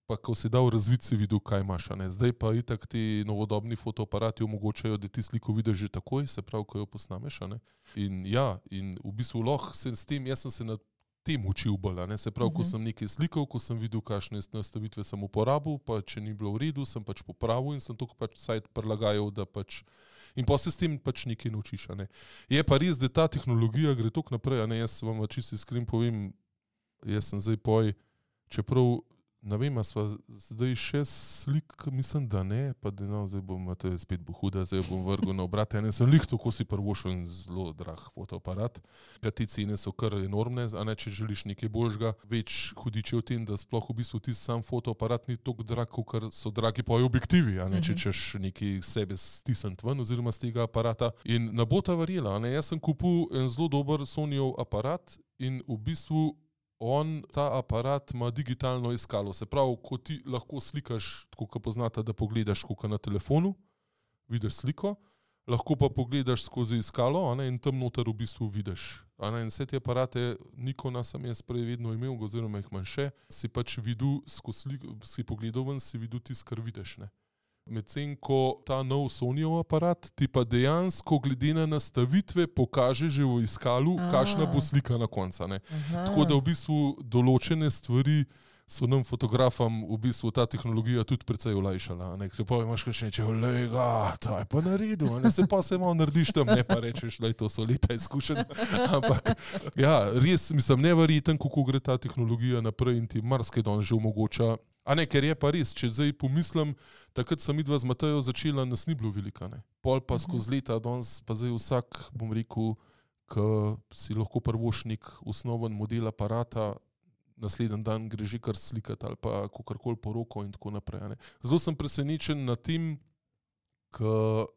pa ko si dal razvid, si videl, kaj imaš. a ne. Zdaj pa itak ti novodobni fotoaparati omogočajo, da ti sliko vidiš že takoj, se pravi, ko jo posnameš. a ne. In ja, in v bistvu lahko sem s tem, jaz sem se na tem učil bolj. a ne. Se pravi, ko
Mhm.
sem nekaj slikal, ko sem videl, kakšne nastavitve sem uporabil, pa če ni bilo v redu, sem pač popravil in sem to pač sajt prilagajal, da pač in pa se s tem pač nekaj naučiš. a ne. Je pa res, da ta tehnologija gre toliko naprej, a ne, jaz vam čisto iskren povem, jaz sem zdaj poj, čeprav ne vem, a sva zdaj še slik, mislim, da ne, pa da no, zdaj bom, to je spet bo huda, zdaj bom vrgel na obrat, ene sem lih tako si prvošel in zelo drag fotoaparat, ker ti cene so kar enormne, a ne, če želiš nekaj boljšega, več hudiče v tem, da sploh v bistvu ti sam fotoaparat ni toliko drag, ker so dragi pa objektivi, a ne, če češ nekaj sebe stisniti ven oziroma z tega aparata. In ne bo ta verjela, a ne, jaz sem kupil en zelo dober Sonyjev aparat in v bistvu on, ta aparat ima digitalno iskalo. Se pravi, ko ti lahko slikaš, tako kot poznate, da pogledaš kot na telefonu, vidiš sliko, lahko pa pogledaš skozi iskalo, a ne, in tam noter v bistvu vidiš. A ne, in vse te aparate, Nikona sem jaz prej vedno imel, oziroma jih manj še, si pač videl, skozi sliko, si pogledal ven, si videl tisto, kar vidiš. Ne. Medtem ko ta nov Sonyjev aparat ti pa dejansko glede na nastavitve pokaže že v iskalu,
A.
kakšna bo slika na koncu. ne.
Aha.
Tako da v bistvu določene stvari so nam fotografom v bistvu ta tehnologija tudi precej olajšala. a ne. Ker pa imaš kakšne reče, olej ga, to je pa naredil, a ne, se pa se malo narediš tam, ne pa rečeš, lej, to so leta izkušenj. Ampak ja, res, mislim, neverjeten, kako gre ta tehnologija naprej in ti marsikaj danes že omogoča. A ne, ker je pa res, če zdaj pomislim, takrat sem midva z Matejo začela, nas ni bilo velika. Ne. Pol pa skozi leta, danes pa zdaj vsak, bom rekel, ko si lahko prvoš nek osnoven model aparata, naslednji dan gre že kar slikati ali pa kakorkoli po roko in tako naprej. a ne. Zelo sem presenečen nad tem, ko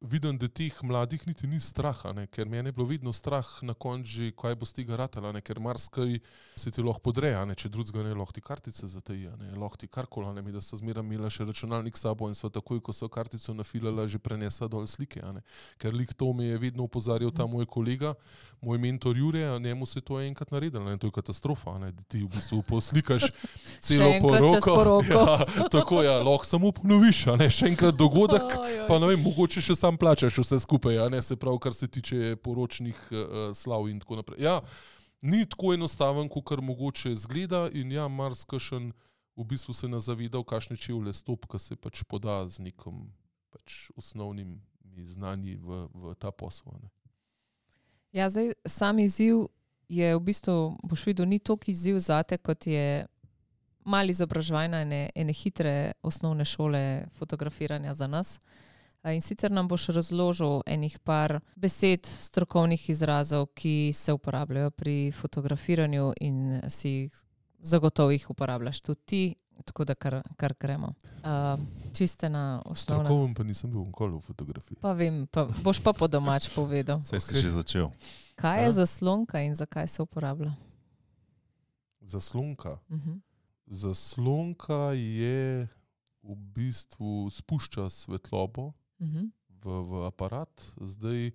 vidim, da teh mladih niti ni strah, a ne, ker meni je bilo vedno strah na koncu že, kaj bo z tega ratala, a ne, ker marsikaj se ti lahko podre, a ne, če drugega ne, lahko ti kartice zataji, a ne, lahko ti karkoli, a ne, mi da sta zmeraj imela še računalnik s sabo in sva takoj, ko so kartico nafilala, že prenesla dol slike, a ne. Ker lik to mi je vedno opozarjal ta moj kolega, moj mentor Jure, a njemu se to je enkrat naredilo, ne, to je katastrofa, a ne, da ti v bistvu poslikaš celo
Še enkrat čez
poroko.
poroko.
Ja, tako ja, lahko samo ponoviš, a ne, še enkrat dogodek,
Oj, oj.
pa ne vem, mogoče še sam plačaš vse skupaj, a ne, se pravi, kar se tiče poročnih uh, slav in tako naprej. Ja, ni tako enostaven, kot mogoče zgleda in ja, marsikšen v bistvu se ne zaveda, v kakšne čevlje stop, ko se pač poda z nekom pač osnovnimi znanji v, v ta posel. Ne.
Ja, zdaj sam izziv je v bistvu, boš videl, ni toliko izziv zate, kot je malo izobraževanja ene, ene hitre osnovne šole fotografiranja za nas. In sicer nam boš razložil enih par besed, strokovnih izrazov, ki se uporabljajo pri fotografiranju in si jih zagotovo jih uporabljaš tudi ti, tako da kar, kar gremo. Uh, čiste na osnovne.
Strokoven pa nisem bil nikoli v fotografiji.
Pa vem, pa boš pa po domač povedal.
Saj si
Ok.
že začel.
Kaj je
Ja.
zaslonka in zakaj se uporablja?
Zaslonka.
Uh-huh.
Zaslonka je v bistvu spušča svetlobo
Uh-huh.
v, v aparat. Zdaj,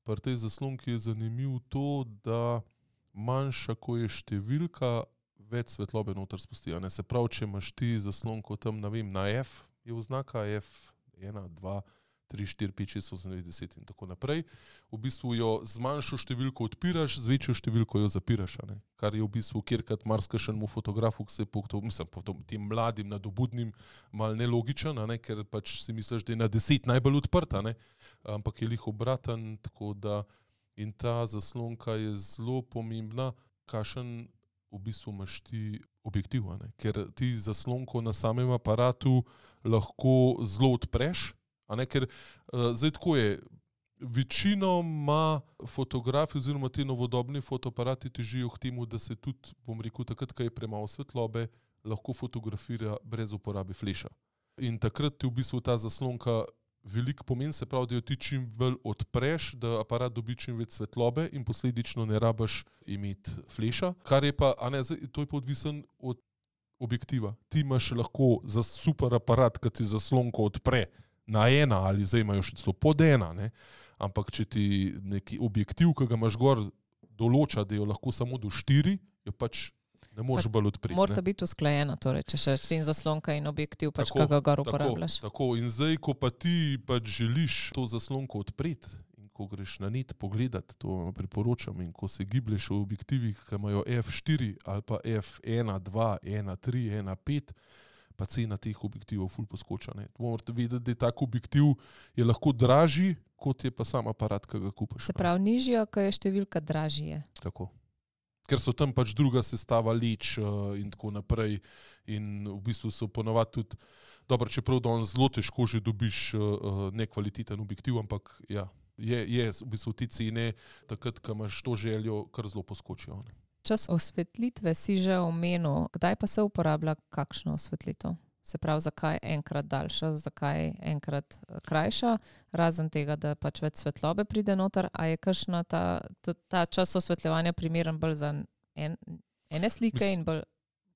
pri tej zaslonki je zanimivo to, da manjša, ko je številka, več svetlobe noter spusti. a ne. Se pravi, če imaš ti zaslonko tam, ne vem, na F, je oznaka F ena, dva, tri, štiri, pet, šest, osem, devet, deset in tako naprej. V bistvu jo z manjšo številko odpiraš, z večjo številko jo zapiraš. Ne? Kar je v bistvu kjerkrat marsikšenemu fotografu, ki se je po, mislim, po tem mladim, nadobudnim, mal nelogičen, ne? Ker pač si misliš, da je na deset najbolj odprta, ne? Ampak je lih obraten, tako da in ta zaslonka je zelo pomembna, kakšen v bistvu imaš ti objektiv, ne? Ker ti zaslonko na samem aparatu lahko zelo odpreš, a ne, ker uh, zdaj tako je, večinoma fotografi oziroma ti novodobni fotoaparati težijo k temu, da se tudi, bom rekel, takrat, ko je premalo svetlobe, lahko fotografira brez uporabe fleša. In takrat ti v bistvu ta zaslonka veliko pomeni, se pravi, da jo ti čim bolj odpreš, da aparat dobi čim več svetlobe in posledično ne rabiš imeti fleša, kar je pa, a ne, to je pa odvisen od objektiva. Ti imaš lahko za super aparat, ki ti zaslonko odpre na ena ali zdaj imajo še celo pod ena, ne? Ampak če ti neki objektiv, ki ga imaš gor, določa, da jo lahko samo do štiri, jo pač ne moreš bolj odpreti.
Morata biti usklajena, torej, če še in zaslonka in objektiv, pač kaj ga gor uporabljaš.
Tako, tako, in zdaj, ko pa ti pač želiš to zaslonko odpreti in ko greš na net pogledati, to priporočam, in ko se giblješ v objektivih, ki imajo ef štiri ali pa ef ena, dva, ena, tri, ena, pet, pa cena teh objektivov ful poskoča. Morate vedeti, da je tak objektiv je lahko dražji, kot je pa sam aparat, ki ga kupaš.
Se pravi, nižjo, ko je številka, dražji je.
Tako. Ker so tam pač druga sestava leč uh, in tako naprej in v bistvu so ponovadi tudi, dobro, čeprav da on zelo težko že dobiš uh, nekvaliteten objektiv, ampak ja, je, je v bistvu ti cene, takrat, ko imaš to željo, kar zelo poskočijo. Ne?
Čas osvetlitve si že omenil, kdaj pa se uporablja kakšno osvetlitev? Se pravi, zakaj enkrat daljša, zakaj enkrat krajša, razen tega, da pač več svetlobe pride noter, a je kakšna ta, ta, ta čas osvetljevanja primeren bolj za en, ene slike Mis, in bolj,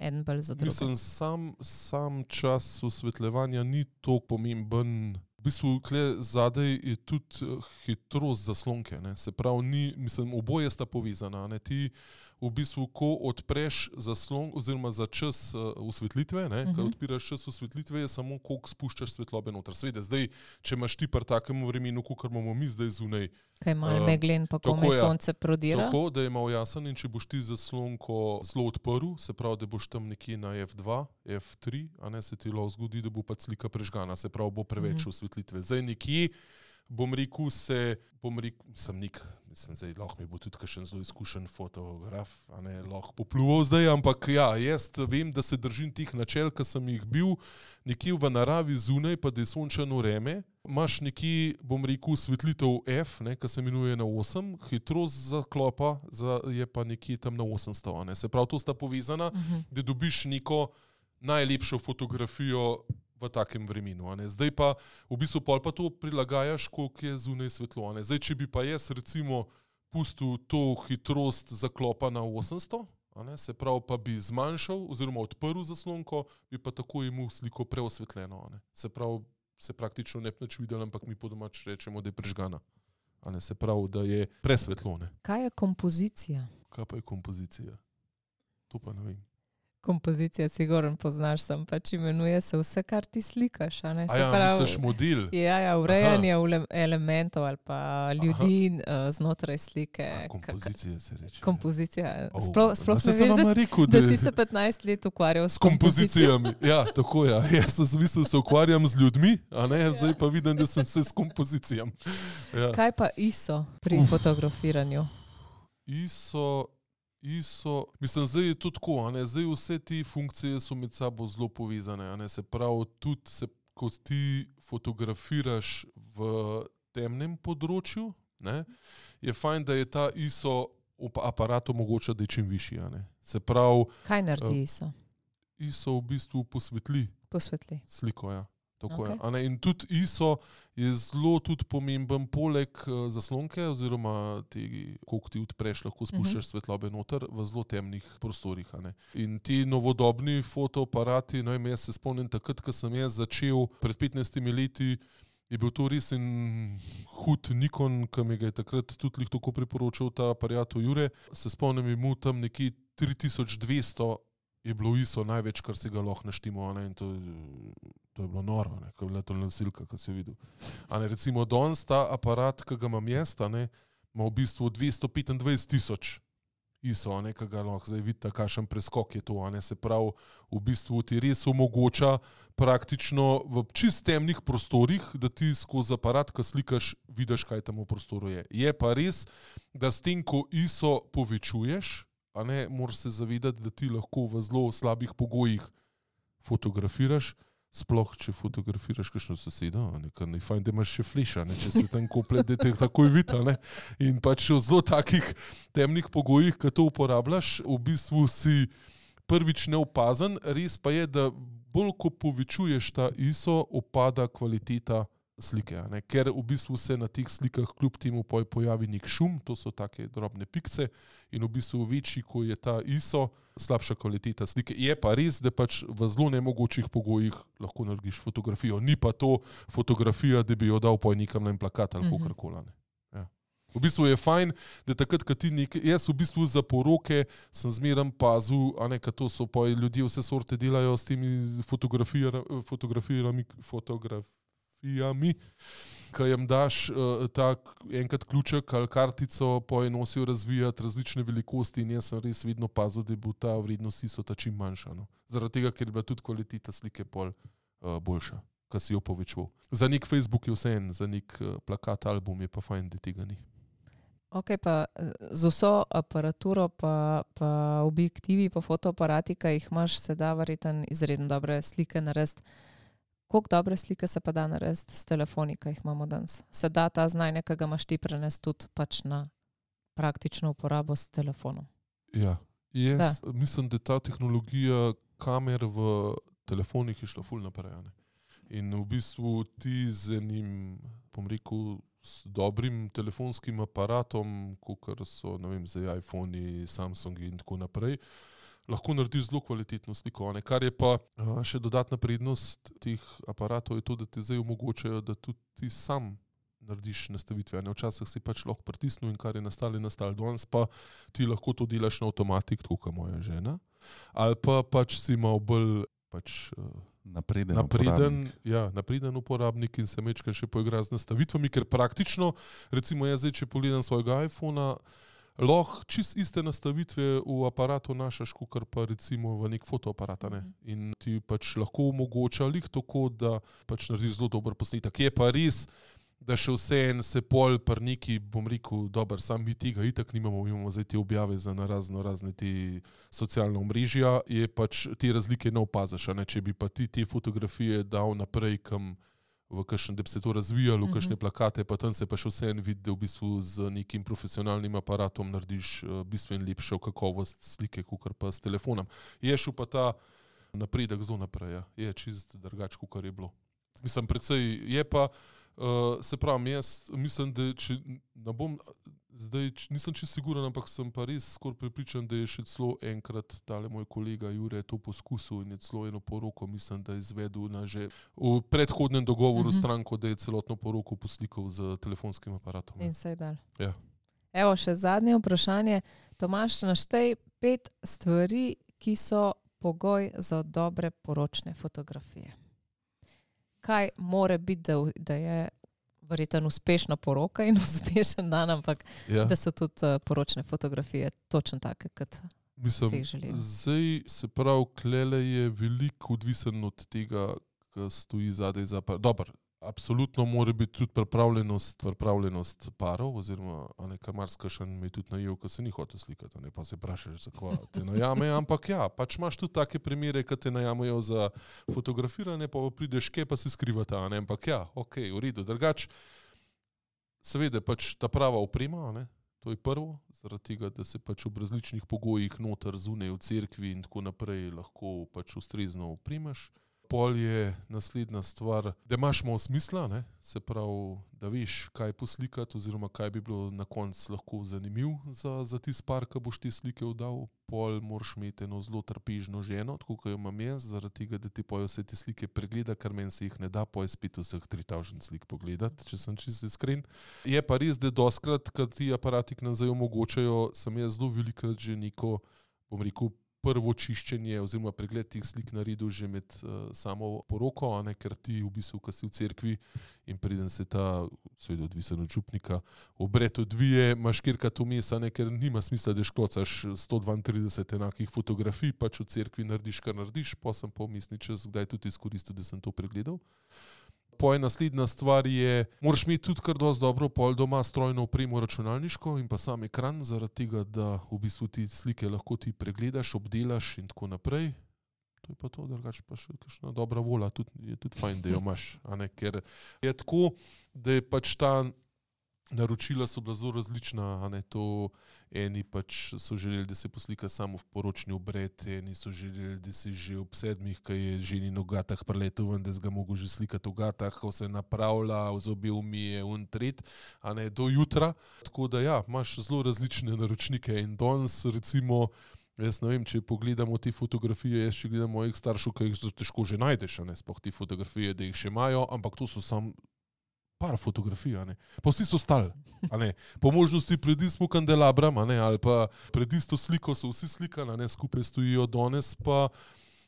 en bolj za druge?
Mislim, sam, sam čas osvetljevanja ni toliko pomemben. V bistvu, kle zadej je tudi hitrost zaslonke, ne? Se pravi, ni, mislim, oboje sta povezana, ne? Ti v bistvu, ko odpreš zaslon oziroma za čas uh, osvetlitve, ne, uh-huh. Ko odpiraš čas osvetlitve, je samo koliko spuščaš svetlobe noter. Sveda, zdaj, če imaš ti pri takem vremenu, kakor imamo mi zdaj zunaj.
Kaj malo uh, meglen, pa ko me sonce prodira.
Tako, da je malo jasen in če boš ti zaslonko zelo odprl, se pravi, da boš tam nekje na ef dva, ef tri, a ne se ti lahko zgodi, da bo pa slika prežgana, se pravi, bo preveč uh-huh. osvetlitve. Zdaj nekje, bom rekel se, bom rekel, sem nik, mislim, zdaj lahko mi bo tudi kakšen zelo izkušen fotograf, a ne, lahko popluval zdaj, ampak ja, jaz vem, da se držim tih načel, ki sem jih bil nekje v naravi zunaj, pa da je sončano vreme, imaš nekje, bom rekel, osvetlitev F, ne, ki se imenuje na osem, hitrost zaklopa za, je pa nekje tam na osemsto, a ne, se pravi, to sta povezana, uh-huh. Da dobiš neko najlepšo fotografijo v takem vremenu. A ne. Zdaj pa v bistvu pol pa to prilagajaš, koliko je zunaj svetlo. A ne. Zdaj, če bi pa jaz recimo pustil to hitrost zaklopa na osemsto, a ne, se pravi pa bi zmanjšal oziroma odprl zaslonko, bi pa tako imel sliko preosvetljeno. A ne. Se pravi, se praktično ne bi nič videl, ampak mi po domač rečemo, da je prežgana. A ne, se pravi, da je presvetlo. Ne.
Kaj je kompozicija?
Kaj pa je kompozicija? To pa ne vem.
Kompozicija, sigurno poznaš, sem pač imenuje se vse, kar ti slikaš. A ne? Se
a ja,
pravi,
misliš model?
Ja, ja, urejanje elementov ali pa ljudi uh, znotraj slike.
A, kompozicija se reče.
Kompozicija.
Oh,
sploh sploh ne veš, da, rekel, da, da si se petnajst let ukvarjal s, s kompozicijami.
Ja, tako ja. Jaz sem mislil, da se ukvarjam z ljudmi, a ne, ja. Zdaj pa vidim, da sem se s kompozicijami. Ja.
Kaj pa I S O pri Uf. fotografiranju?
I S O I S O, mislim, zdaj je to tako, a ne, zdaj vse te funkcije so med sabo zelo povezane, a ne, se pravi, tudi se, ko ti fotografiraš v temnem področju, ne, je fajn, da je ta I S O aparat omogoča, da je čim višji, a ne, se pravi...
Kaj naredi I S O?
I S O v bistvu posvetli.
Posvetli.
Sliko, ja. Tako
okay.
je. A ne, in tudi I S O je zelo tudi pomemben poleg uh, zaslonke oziroma tega, koliko ti odpreš, lahko spuščaš uh-huh. svetlobe noter v zelo temnih prostorih. A ne. In ti novodobni fotoaparati, no, jaz se spomnim takrat, ko sem jaz začel pred petnajstimi leti, je bil to res en hud Nikon, ki mi ga je takrat tudi tako priporočal ta aparat Jure. Se spomnim, je mu tam nekje tri tisoč dvesto je bilo I S O največ, kar si ga lahko naštimo, a ne, in to, to to je bilo noro, ne, ko je bila to nosilka, ko si jo videl. A ne, recimo danes ta aparat, ki ga imam jaz, a ne, ima v bistvu dvesto petindvajset tisoč I S O, a ne, ki ga lahko zdaj vidite, kakšen preskok je to, a ne, se pravi, v bistvu ti res omogoča praktično v čist temnih prostorih, da ti skozi aparat, ko slikaš, vidiš, kaj tam v prostoru je. Je pa res, da s tem, ko I S O povečuješ, a ne, moraš se zavedati, da ti lahko v zelo slabih pogojih fotografiraš, sploh, če fotografiraš kakšno sosedo, nekaj ne fajn, da imaš še fleša, ne, če se tam kople, da te takoj vidi, ne. In pač v zelo takih temnih pogojih, ko to uporabljaš, v bistvu si prvič neopazen, res pa je, da bolj ko povečuješ ta I S O, opada kvaliteta slike, a ne, ker v bistvu se na teh slikah kljub temu pojavi nek šum, to so take drobne pikce in v bistvu večji, ko je ta I S O, slabša kvaliteta slike. Je pa res, da pač v zelo nemogočih pogojih lahko narediš fotografijo. Ni pa to fotografija, da bi jo dal poj nekam na en plakat ali
Mhm.
kakorkoli. Ja. V bistvu je fajn, da takrat, ko ti nekaj, jaz v bistvu za poroke sem zmeraj pazil, a ne, kad to so poj ljudje vse sorte delajo s temi fotografijami, fotografijami, fotografijami, ko jim daš uh, tak enkrat ključek ali kartico, poj nosijo razvijati različne velikosti in jaz sem res vedno pazil, da bo ta vrednost I S O-ta čim manjša. No. Zaradi tega, ker je bila tudi kvaliteta slike pol uh, boljša, ko si jo povečval. Za nek Facebook je vse en, za nek uh, plakat, album je pa fajn, da tega ni.
Ok, pa z vso aparaturo, pa, pa objektivi, pa fotoaparati, ki jih imaš, se da verjetno izredno dobre slike narediti. Koliko dobre slike se pa da narediti s telefoni, ki jih imamo danes? Se da ta znanje, ki ga imaš ti, prenesti tudi pač na praktično uporabo s telefonom?
Ja, jaz da. mislim, da ta tehnologija kamer v telefonih je šla ful naprej. Ne? In v bistvu ti z enim, bom rekel, s dobrim telefonskim aparatom, kot so, ne vem, zdaj iPhone, Samsungi in tako naprej, lahko narediš zelo kvalitetno sliko. Ne? Kar je pa a, še dodatna prednost teh aparatov je to, da ti zdaj omogočajo, da tudi ti sam narediš nastavitve. Ne? Včasih si pač lahko pritisnil in kar je nastalo, je nastalo. Danes pa ti lahko to delaš na avtomatik, tako kot moja žena. Ali pa pač si imel bolj pač,
Napreden,
napreden,
uporabnik.
ja, napreden uporabnik in se mečka še poigra z nastavitvami, ker praktično, recimo jaz zdaj, če pogledam svojega iPhona, lahko čist iste nastavitve v aparatu našaš, kakor pa recimo v nek fotoaparat. Ne? In ti pač lahko omogoča lih tako, da pač narediš zelo dober posnetek. Je pa res, da še vse en se pol par neki, bom rekel, dober, sam mi tega itak nimamo, imamo zdaj te objave za na razno razne te socialne omrežja, je pač te razlike ne opazaš, a ne? Če bi pa ti te fotografije dal naprej, kam v kakšen, da bi se to razvijalo, v kakšne plakate, pa tam se pa še vse en vidi, da v bistvu z nekim profesionalnim aparatom narediš uh, bistveno lepšo kakovost slike, kakor pa s telefonom. Je šel pa ta napredek zelo naprej, ja. Je čist drugače, kakor je bilo. Mislim, precej je pa, uh, se pravim, jaz mislim, da če ne bom, zdaj nisem čisto siguren, ampak sem pa res skoraj prepričan, da je še celo enkrat tale moj kolega Jure to poskusil in je celo eno poroko, mislim, da je izvedel na že v predhodnem dogovoru uh-huh. stranko, da je celotno poroko poslikal z telefonskim aparatom.
In se je dal.
Ja.
Evo, še zadnje vprašanje. Tomaž, naštej pet stvari, ki so pogoj za dobre poročne fotografije. Kaj more biti, da, da je verjetno uspešna poroka in uspešen dan, ampak
Ja.
da so tudi uh, poročne fotografije točno take, kot
Mislim,
si jih želijo.
zdaj se pravi, klele je veliko odvisen od tega, ki stoji zadaj za par. Dobar, absolutno mora biti tudi pripravljenost, pripravljenost parov, oziroma a ne, kar marsikšen me je tudi najel, ko se ni hotel slikati, ne, pa se vprašaš, zakaj te najame, ampak ja, pač imaš tudi take primere, ki te najamejo za fotografiranje, pa prideš kje, pa se skrivata, ne, ampak ja, ok, v redu, drugač, seveda pač ta prava oprema, ne, to je prvo, zaradi tega, da se pač v različnih pogojih noter zunaj v cerkvi in tako naprej lahko pač ustrezno opremaš. Pol je naslednja stvar, da imaš malo smisla, ne? Se pravi, da veš, kaj poslikati oziroma kaj bi bilo na koncu lahko zanimiv za, za tisti par, ki boš te slike oddal. Pol moraš imeti eno zelo trpežno ženo, tako kot jo imam jaz, zaradi tega, da ti pojo vse te slike pregleda, ker meni se jih ne da, poje spet vseh tri tisoč slik pogledati, če sem čisto iskren. Je pa res, da doskrat, kad ti aparati k nam zdaj omogočajo, sem jaz zelo velikrat že neko, bom rekel, prvo čiščenje oziroma pregled teh slik naredil že med uh, samo poroko, a ne, ker ti v bistvu, ko si v cerkvi in preden se ta, seveda odvisen od župnika, obred odvije, imaš kjerkat vmes, a ne, ker nima smisla, da šklocaš sto dvaintrideset enakih fotografij, pač v cerkvi narediš, kar narediš, pa sem pa vmesni čas kdaj tudi izkoristil, da sem to pregledal. Poje naslednja stvar je, moraš imeti tudi kar dosti dobro pol doma strojno opremo računalniško in pa sam ekran, zaradi tega, da v bistvu ti slike lahko ti pregledaš, obdelaš in tako naprej. To je pa to, drugače pa še kakšna dobra volja, tudi, je tudi fajn, da jo imaš. A ne? Ker je tako, da je pač ta naročila so bila zelo različna, a ne, to eni pač so želeli, da se poslika samo v poročni obred, eni so želeli, da se že ob sedmih, ko je ženin v gatah preletel ven, da se ga mogo že slikati v gatah, ko se napravlja, v zobe umije, un tret, a ne, do jutra. Tako da ja, imaš zelo različne naročnike in danes recimo, jaz ne vem, če pogledamo te fotografije, jaz če gledam mojih staršev, ki jih težko že najdeš, a ne, sploh te fotografije, da jih še imajo, ampak to so sam par fotografij, a ne. Pa vsi so stali, a ne. Po možnosti pred istim kandelabram, a ne, ali pa pred isto sliko so vsi slikani, a ne, skupaj stojijo danes, pa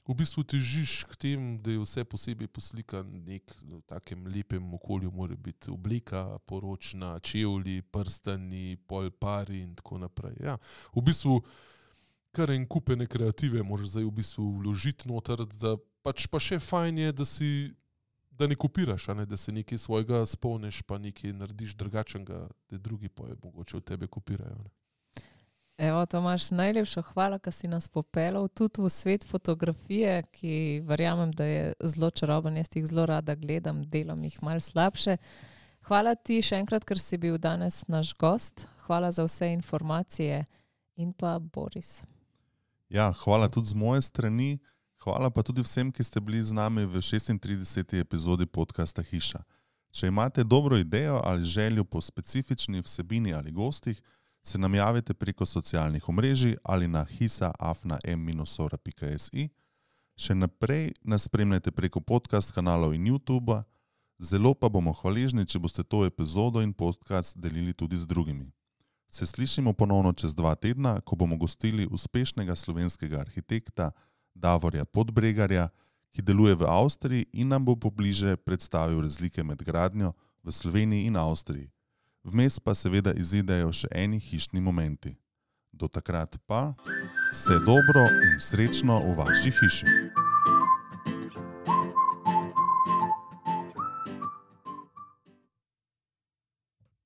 v bistvu težiš k tem, da je vse posebej poslikan nek v takem lepem okolju, mora biti obleka poročna, čevlji, prstani, pol pari in tako naprej. Ja, v bistvu kar en kupene kreative moraš zdaj v bistvu vložiti noter, da pač pa še fajn je, da si da ne kopiraš, a ne, da se nekaj svojega spomniš, pa nekaj narediš drugačnega, da drugi pa je mogoče od tebe kopirajo. Ne.
Evo, Tomaž, najlepša hvala, da si nas popeljal tudi v svet fotografije, ki verjamem, da je zelo čaroben, jaz jih zelo rada gledam, delam jih malo slabše. Hvala ti še enkrat, ker si bil danes naš gost. Hvala za vse informacije in pa Boris.
Ja, hvala tudi z moje strani. Hvala pa tudi vsem, ki ste bili z nami v šestintrideseti epizodi podcasta Hiša. Če imate dobro idejo ali željo po specifični vsebini ali gostih, se nam javite preko socialnih omrežij ali na hisa afna m sora pika si. Še naprej nas spremljajte preko podcast kanalov in YouTubea. Zelo pa bomo hvaležni, če boste to epizodo in podcast delili tudi z drugimi. Se slišimo ponovno čez dva tedna, ko bomo gostili uspešnega slovenskega arhitekta Davorja Podbregarja, ki deluje v Avstriji in nam bo pobliže predstavil razlike med gradnjo v Sloveniji in Avstriji. Vmes pa seveda izidejo še eni hišni momenti. Do takrat pa vse dobro in srečno v vaši hiši.